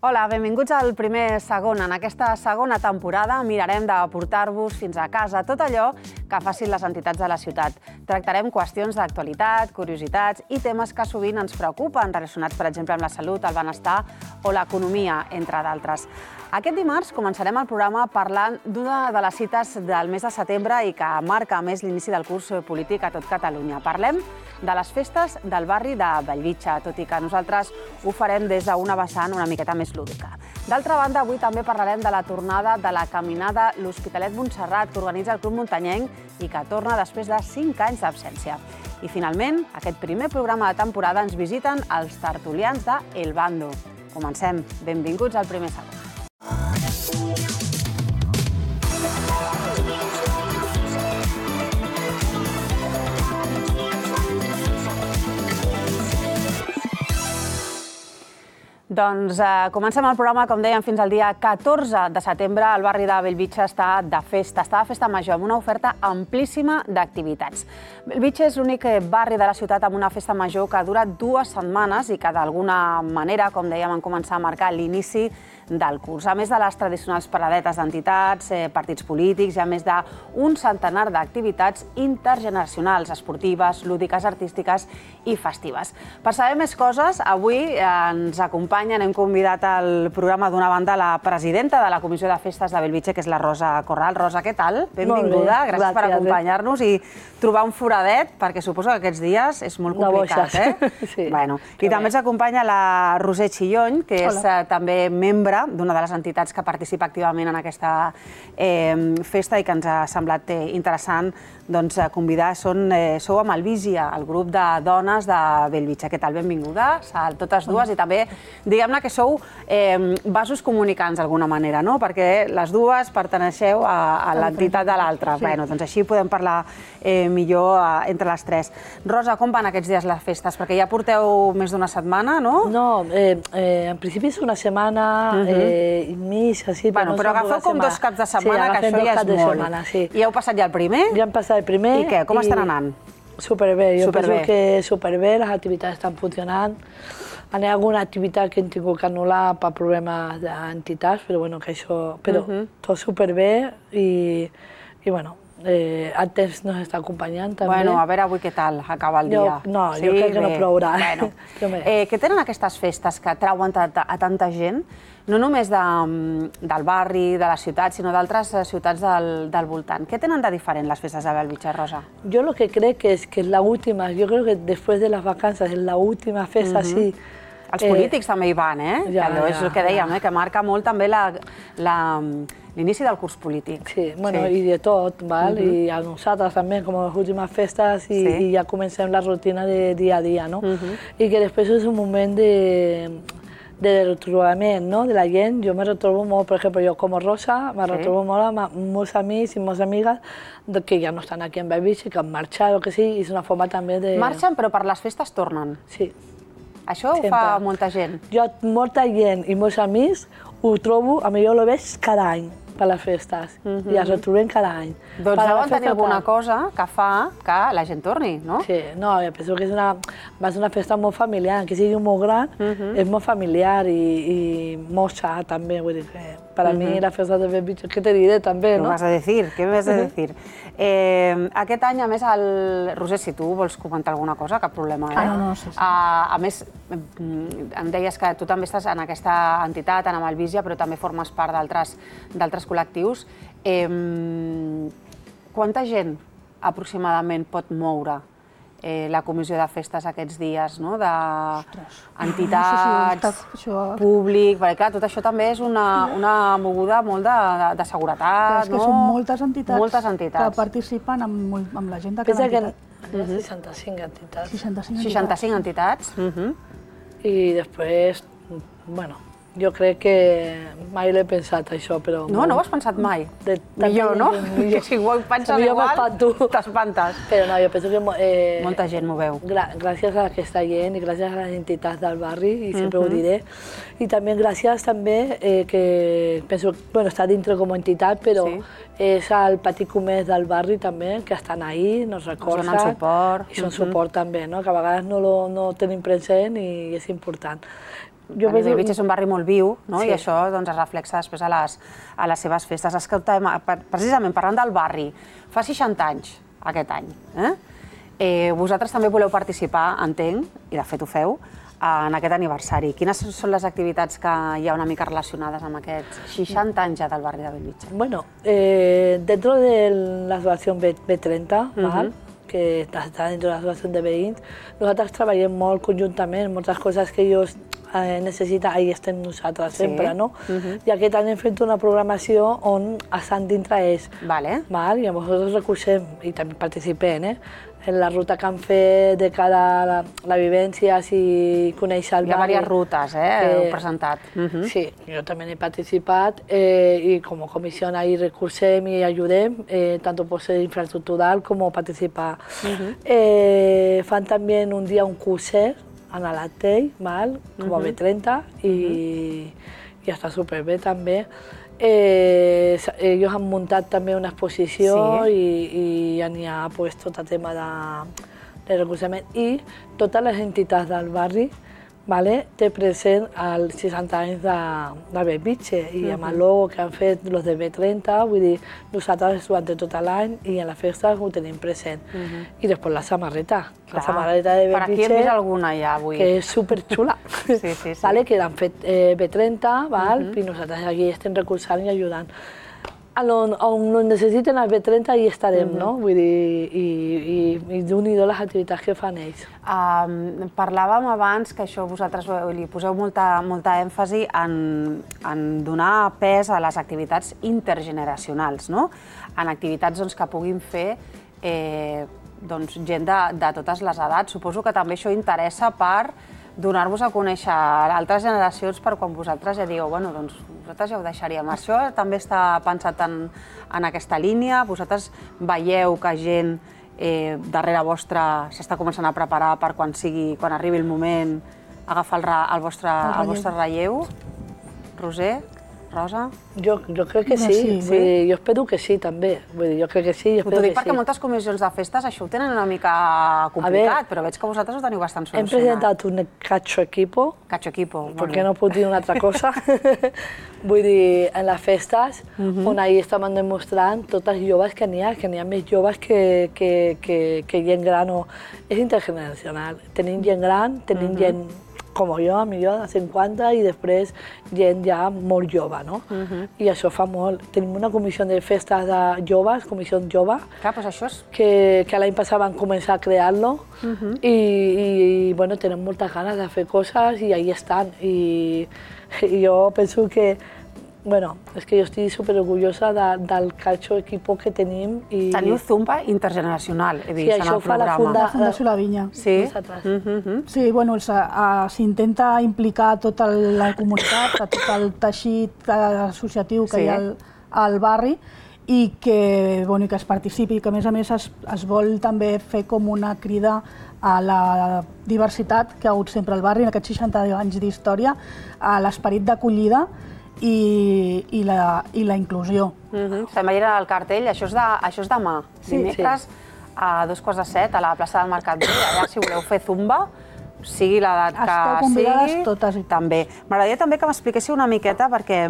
Hola, benvinguts al primer segon. En aquesta segona temporada mirarem de portar-vos fins a casa tot allò que facin les entitats de la ciutat. Tractarem qüestions d'actualitat, curiositats i temes que sovint ens preocupen, relacionats, per exemple, amb la salut, el benestar o l'economia, entre d'altres. Aquest dimarts començarem el programa parlant d'una de les cites del mes de setembre i que marca a més l'inici del curs polític a tot Catalunya. Parlem de les festes del barri de Bellvitge, tot i que nosaltres ho farem des d'una vessant una miqueta més lúdica. D'altra banda, avui també parlarem de la tornada de la caminada L'Hospitalet-Montserrat, que organitza el Club Muntanyenc i que torna després de 5 anys d'absència. I finalment, aquest primer programa de temporada ens visiten els tertulians de El Bando. Comencem. Benvinguts al primer segon. Doncs comencem el programa, com dèiem, fins al dia 14 de setembre. El barri de Bellvitge està de festa major, amb una oferta amplíssima d'activitats. Bellvitge és l'únic barri de la ciutat amb una festa major que dura 2 setmanes i que d'alguna manera, com dèiem, han començat a marcar l'inici del curs. A més de les tradicionals paradetes d'entitats, partits polítics, hi ha més d'un centenar d'activitats intergeneracionals, esportives, lúdiques, artístiques i festives. Per saber més coses, avui ens acompanyen, hem convidat al programa d'una banda la presidenta de la Comissió de Festes de Bellvitge, que és la Rosa Corral. Rosa, què tal? Benvinguda, gràcies per acompanyar-nos i trobar un foradet, perquè suposo que aquests dies és molt complicat, Sí. I també ens acompanya la Roser Chillony, que és també membre d'una de les entitats que participa activament en aquesta festa i que ens ha semblat interessant convidar. Sou amb Alvísia, el grup de dones de Bellvitge. Què tal? Benvinguda, totes dues, i també diguem-ne que sou vasos comunicants d'alguna manera, no? Perquè les dues perteneixeu a l'entitat de l'altra. Doncs així podem parlar millor entre les tres. Rosa, com van aquests dies les festes? Perquè ja porteu més d'una setmana, no? No, en principi és una setmana i mig, així. Però agafeu com 2 caps de setmana, que això ja és molt. I heu passat ja el primer? Ja hem passat el primer. I què? Com estan anant? Superbé, jo penso que superbé, les activitats estan funcionant. Hi ha alguna activitat que hem tingut que anul·lar per problemes d'entitats, però bueno, que això... Però tot superbé i bueno, el temps ens està acompanyant també. Bueno, a veure avui què tal acaba el dia. No, jo crec que no plourà. Què tenen aquestes festes que atrauen a tanta gent? No només del barri, de la ciutat, sinó d'altres ciutats del voltant. Què tenen de diferent les festes de Bellvitge, Rosa? Yo lo que creo que es la última, yo creo que después de las vacanzas es la última festa así. Els polítics també hi van, Allò és el que dèiem, que marca molt també l'inici del curs polític. Sí, bueno, i de tot, val? I a nosaltres també, com les últimes festes, i ja comencem la rutina de dia a dia, no? I que després és un moment de retrobament, no?, de la gent. Jo me retrobo molt, per exemple, jo com a Rosa, me retrobo molt amb molts amics i moltes amigues que ja no estan aquí en Bellvitge, que han marxat o que sí, i és una forma també de... Marxen, però per les festes tornen. Sí. Això ho fa molta gent. Jo, molta gent i molts amics ho trobo, a mi jo ho veig cada any per les festes, i els retrobem cada any. Doncs deuen tenir alguna cosa que fa que la gent torni, no? Sí, no, jo penso que és una festa molt familiar, que sigui molt gran, és molt familiar i molt sa també, vull dir que per a mi la festa de Bellvitge, què te diré també, no? Què m'has de dir? Què m'has de dir? Aquest any, a més, Roser, si tu vols comentar alguna cosa, cap problema, No, sí. A més, em deies que tu també estàs en aquesta entitat, en Alvísia, però també formes part d'altres col·lectius. Quanta gent aproximadament pot moure la comissió de festes aquests dies, no? D'entitats, públic... Perquè, clar, tot això també és una moguda molt de seguretat, no? És que són moltes entitats que participen amb la gent de cada entitat. Pensa que 65 entitats. 65 entitats. I després, bueno... Jo crec que mai l'he pensat, això, però... No, no ho has pensat mai? Millor, no? Que si ho penses igual, t'espantes. Però no, jo penso que... Molta gent m'ho veu. Gràcies a aquesta gent i gràcies a les entitats del barri, i sempre ho diré. I també gràcies també que penso, bueno, està dintre com a entitat, però és el petit comerç del barri també, que estan ahí, nos recolzen. Donen suport. I són suport també, no? Que a vegades no tenim present i és important. Bellvitge és un barri molt viu, i això es reflexa després a les seves festes. Escolta'm, precisament parlant del barri, fa 60 anys aquest any. Vosaltres també voleu participar, entenc, i de fet ho feu, en aquest aniversari. Quines són les activitats que hi ha una mica relacionades amb aquests 60 anys ja del barri de Bellvitge? Bueno, dentro de la asociación B30, que està dentro de la asociación de veïns, nosaltres treballem molt conjuntament, moltes coses que ells necessiten, ahí estem nosaltres sempre, no? I aquest any hem fet una programació on estan dintre ells. I nosaltres recolzem i també participem, en la ruta que han fet de cada la vivència, si conèixer el barri. Hi ha diverses rutes, heu presentat. Sí, jo també he participat i com a comissió ahí recolzem i ajudem, tant per ser infraestructural com participar. Fan també un dia un curset en l'Atell, com a B30, i està superbé també. Ells han muntat també una exposició i n'hi ha tot el tema de recolzament. I totes les entitats del barri té present els 60 anys de Bellvitge i amb el logo que han fet els de B30, vull dir, nosaltres durant tot l'any i en les festes ho tenim present. I després la samarreta de Bellvitge. Per aquí hem vist alguna ja avui. Que és superxula, que l'han fet B30 i nosaltres aquí estem recolzant i ajudant. On necessiten els B30 hi estarem, no? Vull dir, i d'un-i-do les activitats que fan ells. Parlàvem abans que això vosaltres li poseu molta èmfasi en donar pes a les activitats intergeneracionals, no? En activitats que puguin fer gent de totes les edats. Suposo que també això interessa per donar-vos a conèixer altres generacions per quan vosaltres ja digueu, bueno, doncs nosaltres ja ho deixaríem. Això també està pensat en aquesta línia? Vosaltres veieu que gent darrere vostra s'està començant a preparar per quan arribi el moment agafar el vostre relleu? Roser? Rosa? Jo crec que sí, jo espero que sí també, jo crec que sí i espero que sí. T'ho dic perquè moltes comissions de festes això ho tenen una mica complicat, però veig que vosaltres ho teniu bastant solucionat. Hem presentat un cacho equipo, perquè no puc dir una altra cosa, vull dir, en les festes, on ahir estàvem demostrant totes les joves que n'hi ha més joves que gent gran. És intergeneracional, tenim gent gran, tenim gent com jo, millor de 50, i després gent ja molt jove, no? I això fa molt. Tenim una comissió de festes de joves, comissió jove, que l'any passat van començar a crear-lo i tenen moltes ganes de fer coses i ahí estan. I jo penso que és que jo estic superorgullosa del cacho equipo que tenim. Teniu Zumba intergeneracional, he vist en el programa. Sí, això fa la Fundació La Vinya. Sí? Sí, s'intenta implicar tota la comunitat, tot el teixit associatiu que hi ha al barri i que es participi, que a més es vol també fer com una crida a la diversitat que ha hagut sempre al barri en aquests 60 anys d'història, a l'esperit d'acollida i la inclusió. Estem veient el cartell, això és demà, dimecres a 7:15 a la plaça del Mercat Vell, allà si voleu fer zumba, sigui l'edat que sigui. Esteu convidades totes. També. M'agradaria també que m'expliquéssiu una miqueta, perquè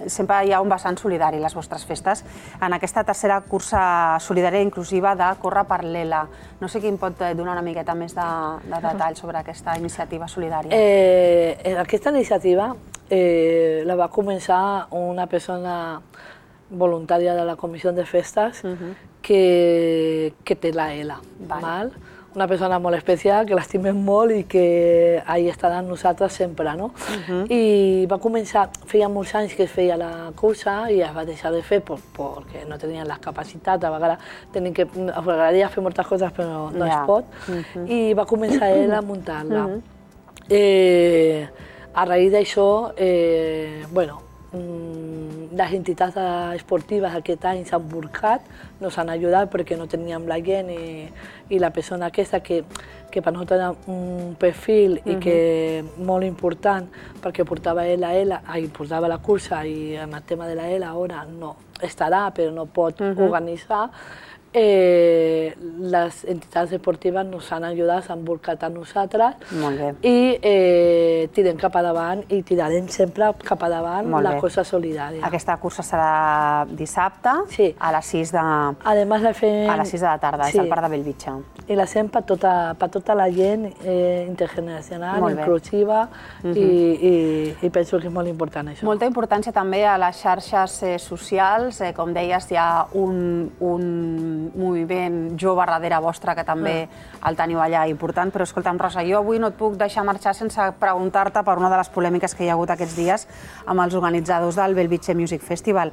sempre hi ha un vessant solidari a les vostres festes, en aquesta tercera cursa solidària inclusiva de Corre per l'ELA. No sé qui em pot donar una miqueta més de detall sobre aquesta iniciativa solidària. Aquesta iniciativa la va començar una persona voluntària de la comissió de festes que té la ELA. Una persona molt especial, que l'estimem molt i que ahí estarà amb nosaltres sempre, no? I va començar, feia molts anys que es feia la cursa i es va deixar de fer perquè no tenien les capacitats, a vegades agradaria fer moltes coses però no es pot, i va començar ell a muntar-la. A raïs d'això, les entitats esportives aquest any s'han volcat, nos han ajudat perquè no teníem la gent i la persona aquesta que per nosaltres era un perfil i que molt important perquè portava portava la cursa i en el tema de la ELA ara no estarà però no pot organitzar, les entitats esportives ens han ajudat, s'han volcat a nosaltres i tirem cap a davant i tirarem sempre cap a davant la cosa solidària. Aquesta cursa serà dissabte a les 6 de la tarda, és al Parc de Bellvitge. I la fem per tota la gent intergeneracional, inclusiva i penso que és molt important això. Molta importància també a les xarxes socials, com deies, hi ha un moviment jove darrere vostre que també el teniu allà important, però escolta'm, Rosa, jo avui no et puc deixar marxar sense preguntar-te per una de les polèmiques que hi ha hagut aquests dies amb els organitzadors del Bellvitge Music Festival.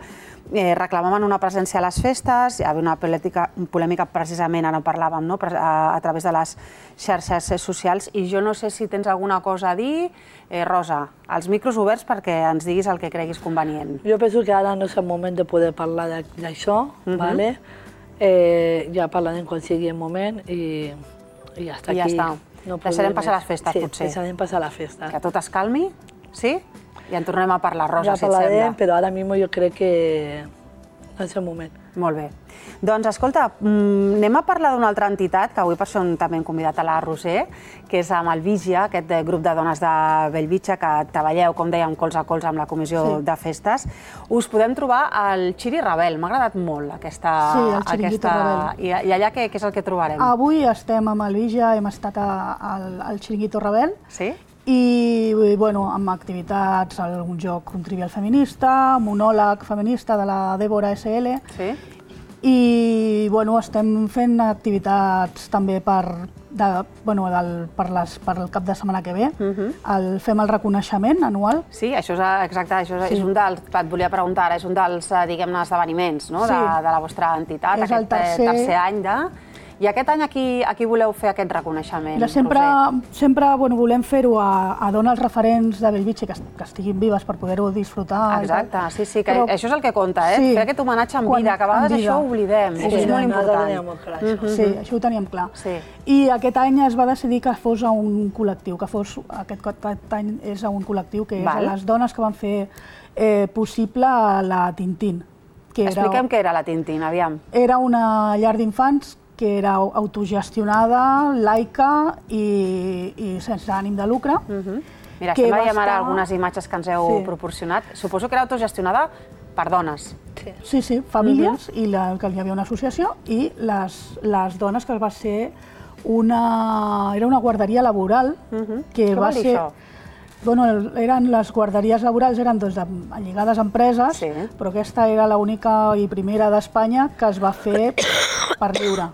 Reclamaven una presència a les festes, hi havia una polèmica precisament, ara en parlàvem, a través de les xarxes socials, i jo no sé si tens alguna cosa a dir. Rosa, els micros oberts perquè ens diguis el que creguis convenient. Jo penso que ara no és el moment de poder parlar d'això, ja parlarem quan sigui el moment i ja està aquí. I ja està. Deixarem passar les festes, potser. Sí, deixarem passar les festes. Que tot es calmi, sí? I en tornem a parlar, Rosa, si et sembla. Ja parlarem, però ara mismo jo crec que no és el moment. Molt bé. Doncs, escolta, anem a parlar d'una altra entitat, que avui per això també hem convidat a la Roser, que és amb el Vigia, aquest grup de dones de Bellvitge, que treballeu, com dèiem, colze a colze amb la comissió de festes. Us podem trobar al Xiri Rebel. M'ha agradat molt aquesta... Sí, el Xiringuito Rebel. I allà què és el que trobarem? Avui estem amb el Vigia, hem estat al Xiringuito Rebel. Sí? I, bueno, amb activitats, algun joc, un trivial feminista, monòleg feminista de la Débora SL. Sí? I, bueno, estem fent activitats també per el cap de setmana que ve. Fem el reconeixement anual. Sí, això és exacte, això és un dels, et volia preguntar ara, és un dels, diguem-ne, esdeveniments de la vostra entitat, aquest tercer any de... I aquest any a qui voleu fer aquest reconeixement, Roser? Sempre volem fer-ho a dones referents de Bellvitge que estiguin vives per poder-ho disfrutar. Exacte, sí, que això és el que compta, fer aquest homenatge en vida, que a vegades això ho oblidem, és molt important. Sí, això ho teníem clar. I aquest any es va decidir que fos a un col·lectiu, aquest any és a un col·lectiu que és a les dones que van fer possible la Tintín. Expliquem què era la Tintín, aviam. Era una llar d'infants que era autogestionada, laica i sense ànim de lucre. Mira, estem veient ara algunes imatges que ens heu proporcionat. Suposo que era autogestionada per dones. Sí, famílies, i que hi havia una associació, i les dones que va ser era una guarderia laboral. Què vol dir això? Les guarderies laborals eren lligades a empreses, però aquesta era l'única i primera d'Espanya que es va fer per lliure.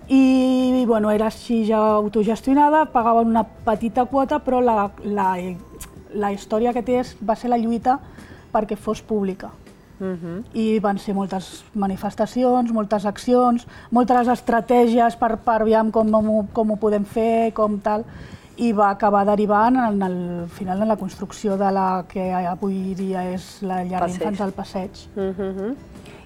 I era així ja autogestionada, pagaven una petita quota, però la història que té va ser la lluita perquè fos pública. I van ser moltes manifestacions, moltes accions, moltes estratègies per aviam com ho podem fer, com tal, i va acabar derivant al final en la construcció de la que avui dia és la llar d'infants al Passeig.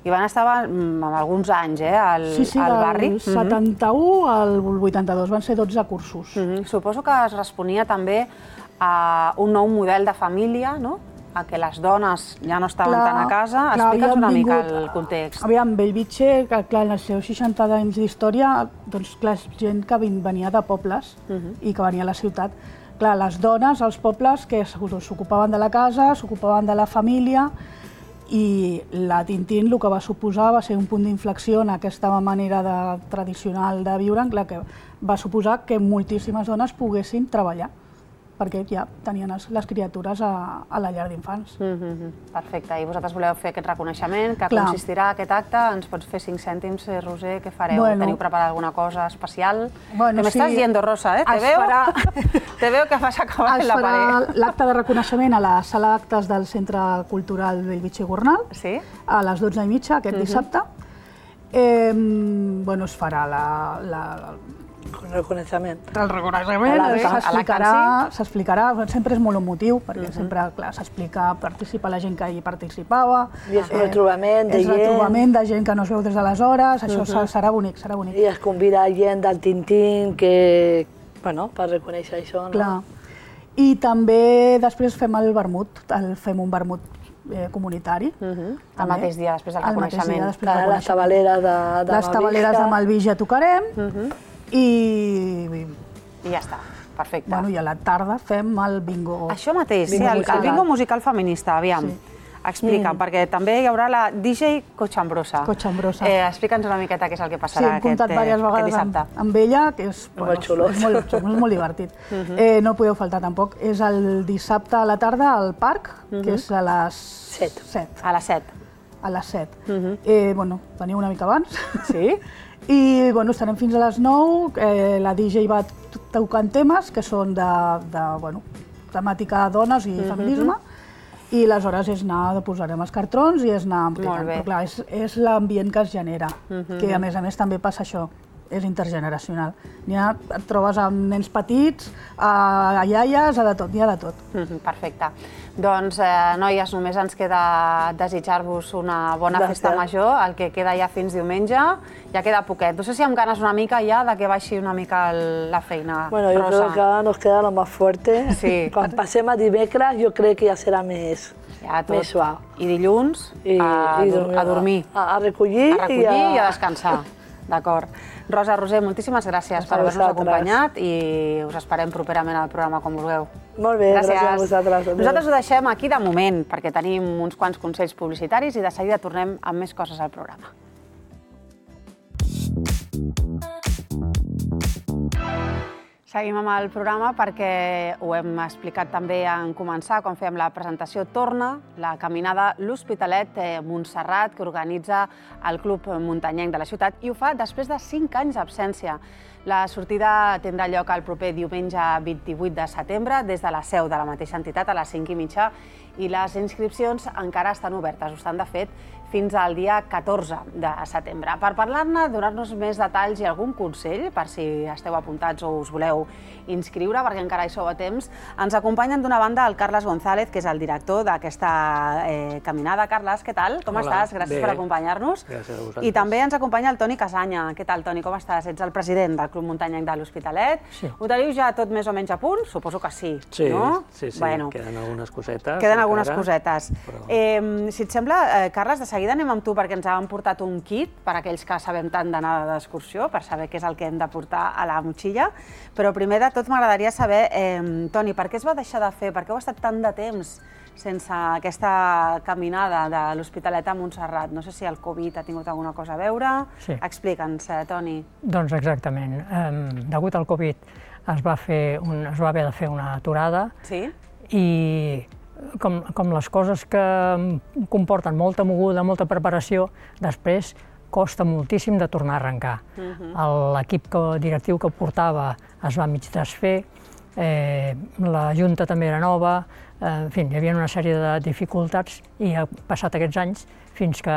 I van estar amb alguns anys al barri? Sí, del 71 al 82, van ser 12 cursos. Suposo que es responia també a un nou model de família, no? A que les dones ja no estaven tant a casa. Explica'ns una mica el context. Aviam, Bellvitge, que clar, en els seus 60 anys d'història, doncs clar, és gent que venia de pobles i que venia a la ciutat. Clar, les dones, els pobles, que s'ocupaven de la casa, s'ocupaven de la família, i la Tintín el que va suposar va ser un punt d'inflexió en aquesta manera tradicional de viure, clar, que va suposar que moltíssimes dones poguessin treballar, perquè ja tenien les criatures a la llar d'infants. Perfecte, i vosaltres voleu fer aquest reconeixement, que consistirà aquest acte, ens pots fer 5 cèntims, Roser, què fareu? Teniu preparat alguna cosa especial? Que m'estàs dient, Rosa, te veo que vas acabar en la paret. Es farà l'acte de reconeixement a la sala d'actes del Centre Cultural Bellvitge i Gornal, a les 12:30 aquest dissabte. Es farà el reconeixement. El reconeixement s'explicarà, sempre és molt emotiu, perquè sempre s'explica, participa la gent que hi participava. I és el trobament de gent. És el trobament de gent que no es veu des d'aleshores, això serà bonic, serà bonic. I es convida gent del Tintín per reconèixer això. Clar. I també després fem el vermut, fem un vermut comunitari. El mateix dia després del reconeixement. Les tabaleres de Malvija. Les tabaleres de Malvija tocarem i ja està, perfecte. Bueno, i a la tarda fem el bingo. Això mateix, sí, el bingo musical feminista, aviam. Explica'm, perquè també hi haurà la DJ Cochambrosa. Cochambrosa. Explica'ns una miqueta què és el que Sí, passarà hem comptat diverses vegades amb ella, que és molt divertit. No podeu faltar tampoc. És el dissabte a la tarda al parc, que és a les 7. A les 7. A les 7. Bueno, veniu una mica abans. Sí? I bueno, estarem fins a les 9. La DJ va tocant temes que són de temàtica dones i feminisme. I aleshores posarem els cartrons i és anar ampliant. Però clar, és l'ambient que es genera, que a més també passa això, és intergeneracional. Et trobes amb nens petits, a iaies, a de tot, n'hi ha de tot. Perfecte. Doncs, noies, només ens queda desitjar-vos una bona festa major, el que queda ja fins diumenge, ja queda poquet. No sé si amb ganes una mica ja de que baixi una mica la feina. Bueno, yo creo que ahora nos queda lo más fuerte. Sí. Quan passem a dimecres, jo crec que ja serà més suau. I dilluns a dormir. A recollir i a descansar. D'acord. Rosa, Roser, moltíssimes gràcies per haver-nos acompanyat i us esperem properament al programa com vulgueu. Molt bé, gràcies a vosaltres. Nosaltres ho deixem aquí de moment, perquè tenim uns quants consells publicitaris i de seguida tornem amb més coses al programa. Seguim amb el programa perquè ho hem explicat també en començar, quan fèiem la presentació. Torna la caminada L'Hospitalet Montserrat, que organitza el Club Muntanyenc de la ciutat, i ho fa després de 5 anys d'absència. La sortida tindrà lloc el proper diumenge 28 de setembre des de la seu de la mateixa entitat a les 5:30 i les inscripcions encara estan obertes, ho estan de fet fins al dia 14 de setembre. Per parlar-ne, donar-nos més detalls i algun consell, per si esteu apuntats o us voleu inscriure, perquè encara hi sou a temps, ens acompanyen d'una banda el Carles González, que és el director d'aquesta caminada. Carles, què tal? Com estàs? Gràcies per acompanyar-nos. Gràcies a vosaltres. I també ens acompanya el Toni Casanya. Què tal, Toni? Com estàs? Ets el president del Club Muntanyenc de l'Hospitalet. Ho teniu ja tot més o menys a punt? Suposo que sí, no? Sí, queden algunes cosetes. Queden algunes cosetes. Si et sembla, Carles, de seguida anem amb tu perquè ens han portat un kit per a aquells que sabem tant d'anar d'excursió, per saber què és el que hem de portar a la motxilla. Però primer de tot m'agradaria saber, Toni, per què es va deixar de fer? Per què heu estat tant de temps sense aquesta caminada de l'Hospitalet a Montserrat? No sé si el Covid ha tingut alguna cosa a veure. Explica'ns, Toni. Doncs exactament. Degut al Covid es va haver de fer una aturada i com les coses que comporten molta moguda, molta preparació, després costa moltíssim de tornar a arrencar. L'equip directiu que portava es va mig desfer, la Junta també era nova, en fi, hi havia una sèrie de dificultats i ha passat aquests anys fins que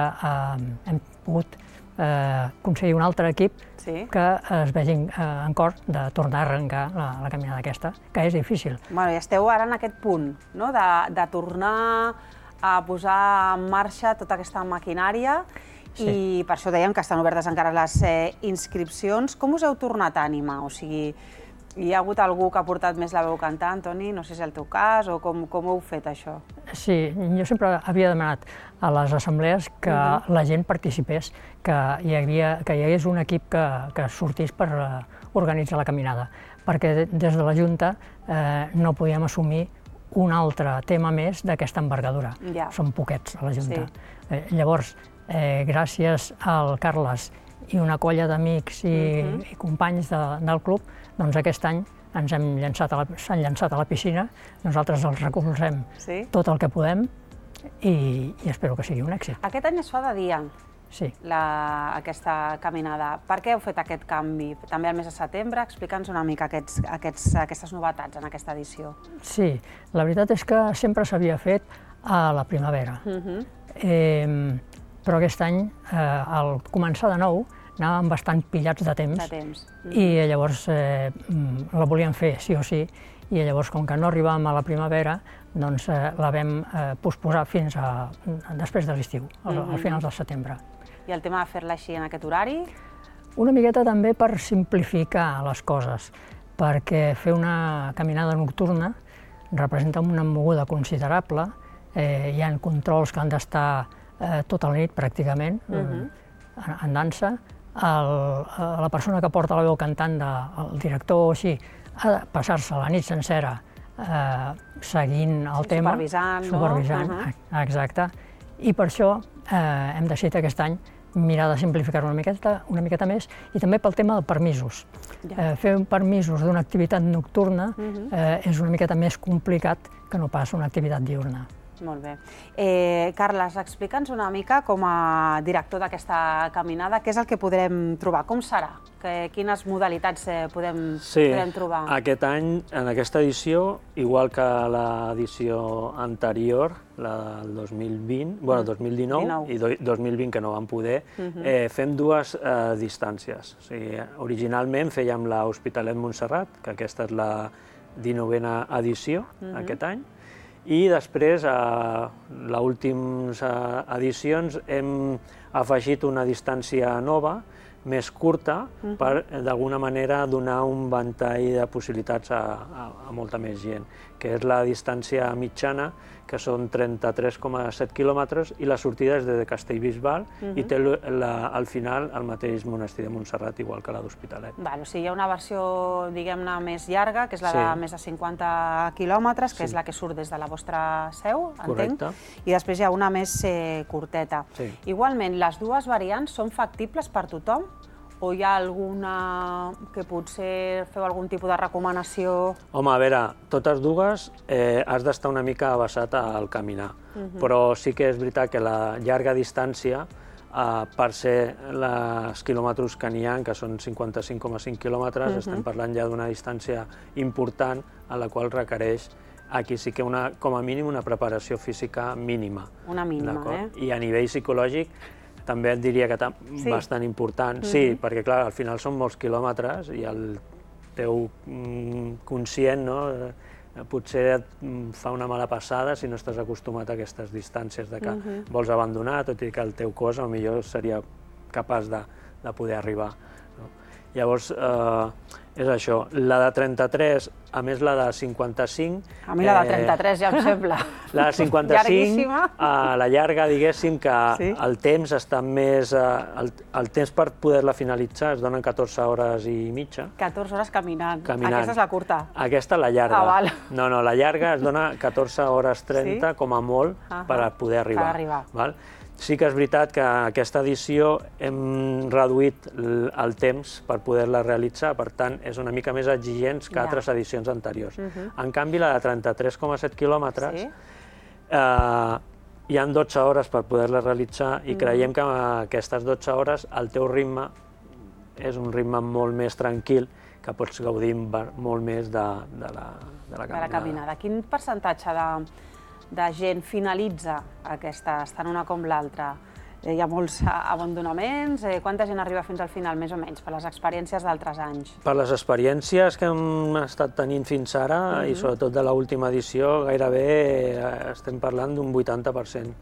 hem pogut aconseguir un altre equip que es vegi en cor de tornar a arrencar la caminada aquesta, que és difícil. I esteu ara en aquest punt, de tornar a posar en marxa tota aquesta maquinària i per això dèiem que estan obertes encara les inscripcions. Com us heu tornat a animar? O sigui, hi ha hagut algú que ha portat més la veu cantant, Toni? No sé si és el teu cas o com ho heu fet, això? Sí, jo sempre havia demanat a les assemblees que la gent participés, que hi hagués un equip que sortís per organitzar la caminada, perquè des de la Junta no podíem assumir un altre tema més d'aquesta envergadura. Som poquets a la Junta. Llavors, gràcies al Carles i una colla d'amics i companys del club, doncs aquest any s'han llançat a la piscina, nosaltres els recolzem tot el que podem i espero que sigui un èxit. Aquest any es fa de dia, aquesta caminada. Per què heu fet aquest canvi? També al mes de setembre? Explica'ns una mica aquestes novetats en aquesta edició. Sí, la veritat és que sempre s'havia fet a la primavera, però aquest any, al començar de nou, anàvem bastant pillats de temps i llavors la volíem fer sí o sí i llavors com que no arribàvem a la primavera doncs la vam posposar fins a després de l'estiu, al final del setembre. I el tema de fer-la així en aquest horari? Una miqueta també per simplificar les coses, perquè fer una caminada nocturna representa una moguda considerable hi ha controls que han d'estar tota la nit, pràcticament, en dansa. La persona que porta la veu cantant, el director o així, ha de passar-se la nit sencera seguint el tema. Supervisant, no? Exacte. I per això hem decidit aquest any mirar de simplificar-ho una miqueta més, i també pel tema de permisos. Fer permisos d'una activitat nocturna és una miqueta més complicat que no pas una activitat diurna. Molt bé. Carles, explica'ns una mica, com a director d'aquesta caminada, què és el que podrem trobar? Com serà? Quines modalitats podem trobar? Sí, aquest any, en aquesta edició, igual que l'edició anterior, la del 2020, bueno, 2019 i 2020, que no vam poder, fem dues distàncies. Originalment fèiem l'Hospitalet Montserrat, que aquesta és la 19a edició aquest any, i després, a les últimes edicions, hem afegit una distància nova, més curta, per d'alguna manera donar un ventall de possibilitats a molta més gent, que és la distància mitjana, que són 33,7 quilòmetres, i la sortida és de Castellbisbal i té al final el mateix monestir de Montserrat, igual que la d'Hospitalet. O sigui, hi ha una versió, diguem-ne, més llarga, que és la de més de 50 quilòmetres, que és la que surt des de la vostra seu, entenc, i després hi ha una més curteta. Igualment, les dues variants són factibles per tothom? O hi ha alguna que potser feu algun tipus de recomanació? Home, a veure, totes dues has d'estar una mica basat al caminar, però sí que és veritat que la llarga distància, per ser els quilòmetres que n'hi ha, que són 55,5 quilòmetres, estem parlant ja d'una distància important a la qual requereix aquí sí que com a mínim una preparació física mínima. Una mínima, I a nivell psicològic també et diria que bastant important. Sí, perquè clar, al final són molts quilòmetres i el teu conscient potser et fa una mala passada si no estàs acostumat a aquestes distàncies de que vols abandonar, tot i que el teu cos potser seria capaç de poder arribar. Llavors, és això. La de 33, a més la de 55... A mi la de 33 ja em sembla la de 55, a la llarga, diguéssim, que el temps està més... El temps per poder-la finalitzar es donen 14 hores i mitja. 14 hores caminant. Aquesta és la curta. Aquesta és la llarga. No, la llarga es dona 14 hores 30, com a molt, per poder arribar. Sí que és veritat que aquesta edició hem reduït el temps per poder-la realitzar, per tant, és una mica més exigents que altres edicions anteriors. En canvi, la de 33,7 quilòmetres, hi ha 12 hores per poder-la realitzar i creiem que aquestes 12 hores el teu ritme és un ritme molt més tranquil, que pots gaudir molt més de la caminada. Quin percentatge de gent finalitza aquesta, tant una com l'altra? Hi ha molts abandonaments? Quanta gent arriba fins al final, més o menys, per les experiències d'altres anys? Per les experiències que hem estat tenint fins ara, i sobretot de l'última edició, gairebé estem parlant d'un 80%